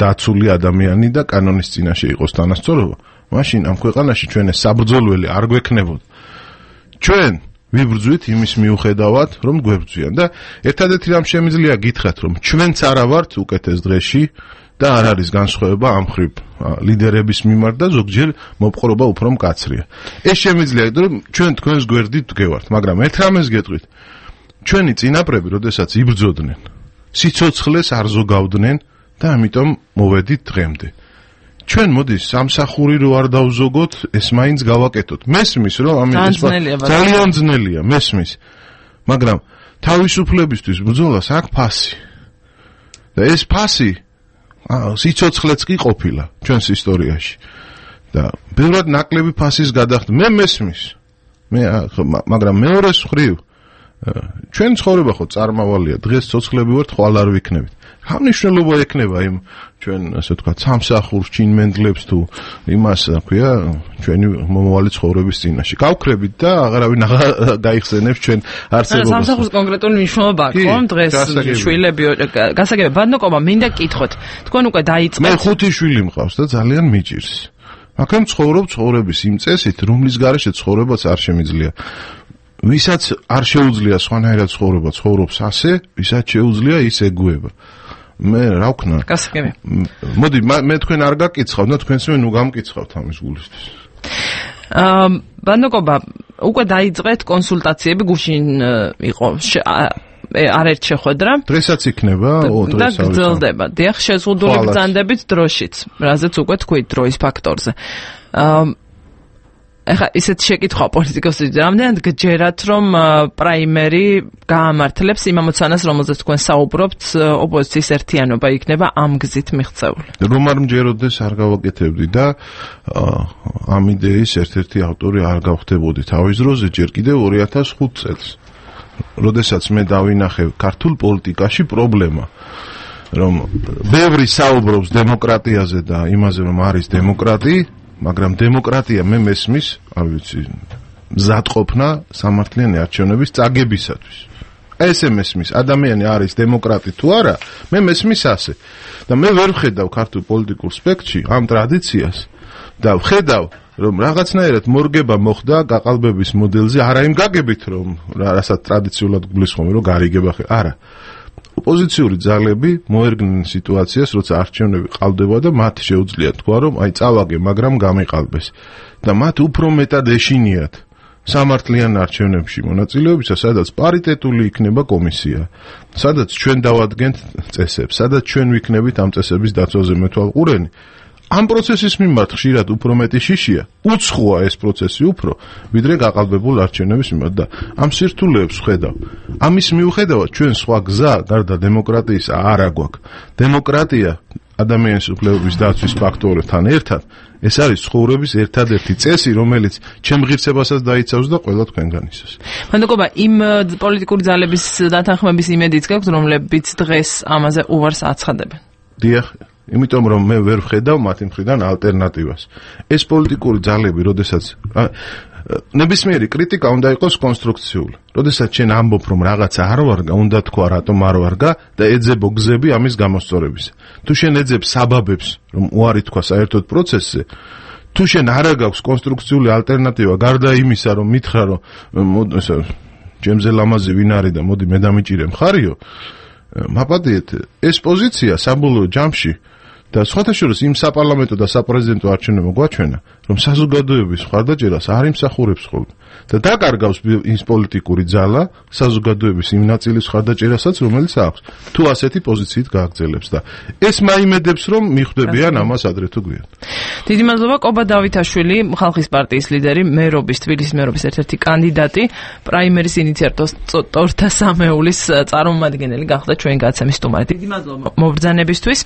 დაცული ადამიანი და კანონის წინაშე იყოს თანასწორობა, მაშინ ამ ქვეყანაში ჩვენ ეს საბრძოლველი არ გვექნებოდა. ჩვენ ვიბრძვით იმის მიუხედავად, რომ გვებრძვიან და ერთადერთი რამ შემიძლია გითხრათ, რომ ჩვენც არა ვართ უკეთეს დღეში და არ არის განსხვავება ამ ხრივ ლიდერების მიმართ და ზოგჯერ მოპყრობა უფრო მკაცრია. ეს შემიძლია, რომ ჩვენ თქვენს გვერდით ვდგევართ, მაგრამ ერთ რამეს გეტყვით. ჩვენი წინაპრები, როდესაც იბრძოდნენ, სიცოცხლეს არ ზოგავდნენ და ამიტომ მოვედით დღემდე. ჩვენ მოდის სამსახური რო არ დავზოგოთ, ეს მაინც გავაკეთოთ. მესმის რომ ამის ძალიან ძნელია, მესმის. მაგრამ თავისუფლებისთვის ბრძოლას აქვს ფასი. და ეს ფასი სიცოცხლეც კი ყოფილა ჩვენს ისტორიაში. და ბევრად ნაკლები ფასის გადახდა. მე მესმის. მაგრამ მეორეს მხრივ ჩვენ ცხოვრება ხო წარმავალია. დღეს ცოცხლები ვართ, ხვალ არ ვიქნებით. რა მნიშვნელობა ექნება იმ ჩვენ ასე ვთქვათ სამსახურს ჩინმენდლებს თუ იმას ქვია ჩვენი მომავალი ცხოვრების წინაშე. გავქრებით და აღარავინ გაიხსენებს ჩვენ არსებობას. სამსახურს კონკრეტული მნიშვნელობა აქვს ხომ დღეს შვილები გასაგებია ბანოკობა მინდა კითხოთ. თქვენ უკვე დაიწყეთ. მე 5 შვილი მყავს და ძალიან მიჭირს. მაგრამ ცხოვრობ ცხოვრების იმ წესით, რომლის გარეშე ცხოვრებაც არ შემიძლია. ვისაც არ შეუძლია სხვანაირად ცხოვრება, ცხოვრობს ასე, ვისაც შეუძლია ის ეგუება. მე რა ვქნა? გასაგები. მოდი, მე თქვენ არ გაკიცხავთ და თქვენს მე ნუ გამკიცხავთ ამის გულისთვის. ბანოკობა, უკვე დაიწყეთ კონსულტაციები, გუშინ იყო არერთ შეხვედრა. დღესაც იქნება, და გრძელდება. დიახ, შეზღუდული ბრძანდებით დროშიც, რაზეც უკვე თქვით დროის ფაქტორზე. ეხლა ისეთ შეკითხვა პოლიტიკოსებს რამდენად გჯერათ რომ პრაიმერი გაამართლებს იმ ამოცანას რომელზეც თქვენ საუბრობთ ოპოზიციის ერთიანობა იქნება ამ გზით მიღწეული რომ არ მჯეროდეს არ გავაკეთებდი და ამ იდეის ერთ-ერთი ავტორი არ გავხდებოდი თავის დროზე ჯერ კიდევ 2005 წელს როდესაც მე დავინახე ქართულ პოლიტიკაში პრობლემა რომ ბევრი საუბრობს დემოკრატიაზე და იმაზე რომ არის დემოკრატია მაგრამ დემოკრატია მე მესმის, არ ვიცი, მზადყოფნა სამართლიანი არჩევნების წაგებისათვის. ესე მესმის, ადამიანი არის დემოკრატი თუ არა, მე მესმის ასე. და მე ვერ ვხედავ ქართულ პოლიტიკურ სპექტრში ამ ტრადიციას და ვხედავ, რომ რაღაცნაირად მორგება მოხდა გაყალბების მოდელზე, არა იმ გაგებით, რომ რასაც ტრადიციულად გულისხმობენ, რომ გარიგება არა. ოპოზიციური ძალები მოერგნენ სიტუაციას, როცა არჩევნები ყალბდება და მათ შეუძლიათ თქვა, რომ აი წავაგე, მაგრამ გამიყალბეს. და მათ უფრო მეტად ეშინიათ სამართლიან არჩევნებში მონაწილეობისა, სადაც პარიტეტული იქნება კომისია, სადაც ჩვენ დავადგენთ წესებს, სადაც ჩვენ ვიქნებით ამ წესების დაცვაზე მეთვალყურენი. ამ პროცესის მიმართ ხშირად უფრო მეტი შიშია, უცხოა ეს პროცესი უფრო, ვიდრე გაყალბებულ არჩევნების მიმართ და ამ სირთულეებს ვხედავ. ამის მიუხედავად ჩვენ სხვა გზა გარდა დემოკრატიისა არ აგვაქვს. დემოკრატია ადამიანის უფლებების დაცვის ფაქტორთან ერთად ეს არის ცხოვრების ერთადერთი წესი, რომელიც ჩემ ღირსებასაც დაიცავს და ყველა თქვენგანისაც. მანდოკობა, იმ პოლიტიკური ძალების დათანხმების იმედიც გაქვთ, რომლებიც დღეს ამაზე უვარს აცხადებენ. დიახ. იმიტომ რომ მე ვერ ვხედავ მათი მხრიდან ალტერნატივას. ეს პოლიტიკური ძალები, როდესაც ნებისმიერი კრიტიკა უნდა იყოს კონსტრუქციული. როდესაც ჩვენ ამბობ რომ რაღაცა არ ვარგა, უნდა თქვა რატომ არ ვარგა და ეძებო გზები ამის გამოსწორებისა. თუ შენ ეძებ საბაბებს, რომ უარი თქვა საერთოდ პროცესზე, თუ შენ არ აქვს კონსტრუქციული ალტერნატივა, გარდა იმისა, რომ მითხრა რომ ჩემზე ლამაზი ვინ არის და მოდი მე დამიჭირე მხარიო, მაპატიეთ, ეს პოზიცია საბოლოო ჯამში და სხვათა შორის იმ საპარლამენტო და საპრეზიდენტო არჩევნებმა გვაჩვენა, რომ საზოგადოების მხარდაჭერას არ იმსახურებს ხოლმე და დაკარგავს ის პოლიტიკური ძალა საზოგადოების იმ ნაწილის მხარდაჭერასაც, რომელიც აქვს, თუ ასეთი პოზიციით გააგრძელებს და ეს მაიმედებს, რომ მიხვდებიან ამას ადრე თუ გვიან. დიდი მადლობა, კობა დავითაშვილი, ხალხის პარტიის ლიდერი, მერობის, თბილისის მერობის ერთ-ერთი კანდიდატი, პრაიმერის ინიციატორთა სამეულის წარმომადგენელი გახდა ჩვენი გადაცემის სტუმარი. დიდი მადლობა მობრძანებისთვის.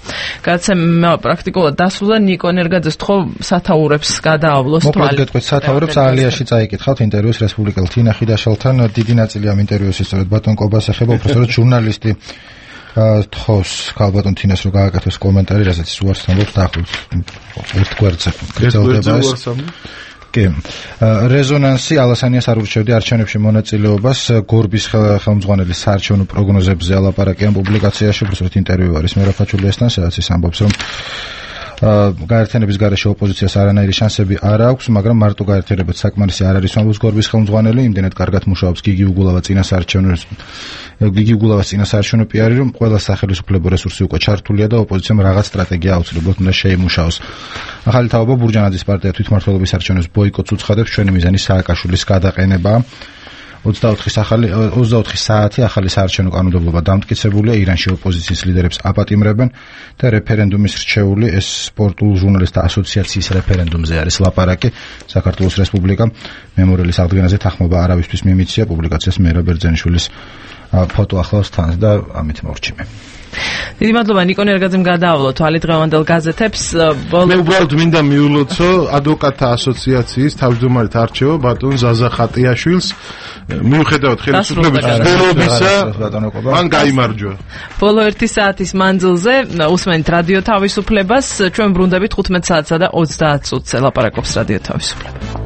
გადაცემა პრაქტიკულად დასრულდა, ნიკო ენერგაძეს თხოვ სათაურებს გადაავლოს თვალი. მოკლედ გეტყვით სათაურებს ალიაში წაიკითხავთ ინტერვიუს რესპუბლიკელ თინა ხიდაშელთან. დიდი ნაწილი ამ ინტერვიუს ისწორედ ბატონ კობას ეხება, უბრალოდ ჟურნალისტი თხოვს ქალბატონ თინას რომ გააკეთოს კომენტარი, რასაც ის უარს ამბობს დაახლოებით ერთ გვერდზე გრძელდება ეს. კი. რეზონანსი ალასანიას არ ურჩევდი არჩევნებში მონაწილეობას, გორბის ხელმძღვანელის საარჩევნო პროგნოზებზე ალაპარაკი ამ პუბლიკაციაში, უბრალოდ ინტერვიუ არის მერაფაჩულიასთან, სადაც ის ამბობს, რომ გაერთიანების გარეშე ოპოზიციას არანაირი შანსები არ აქვს, მაგრამ მარტო გაერთიანებაც საკმარისი არ არის, ამბობს გორბის ხელმძღვანელი, იმდენად კარგად მუშაობს გიგი უგულავას წინასაარჩევნო პიარი, რომ ყველა სახელმწიფო რესურსი უკვე ჩართულია და ოპოზიციამ რაღაც სტრატეგია აუცილებლად უნდა შეიმუშაოს. ახალი თაობა ბურჯანაძის პარტია თვითმმართველობის არჩევნებს ბოიკოტს უცხადებს, ჩვენი მიზანი სააკაშვილის გადაყენებაა. 24 საათი ახალი საარჩევნო კანონმდებლობა დამტკიცებულია, ირანში ოპოზიციის ლიდერებს აპატიმრებენ და რეფერენდუმის რჩეული ეს სპორტულ ჟურნალისტთა ასოციაციის რეფერენდუმზე არის ლაპარაკი. საქართველოს რესპუბლიკა მემორიალის აღდგენაზე თანხმობა არავისთვის მიმიცია, პუბლიკაციას მერაბ ბერძენიშვილის ფოტო ახლავს თან და ამით მორჩიმე. დიდი მადლობა ნიკო ნერგაძემ გადაავლო თვალი დღევანდელ გაზეთებს. მე უბრალოდ მინდა მიულოცო ადვოკატთა ასოციაციის თავმჯდომარედ არჩევა ბატონ ზაზა ხატიაშვილს. მიუხედავად ხელისუფლების მცდელობისა, მან გაიმარჯვა. ბოლო 1 საათის მანძილზე უსმენთ რადიო თავისუფლებას. ჩვენ ბრუნდებით 15 საათსა და 30 წუთზე ლაპარაკობს რადიო თავისუფლება.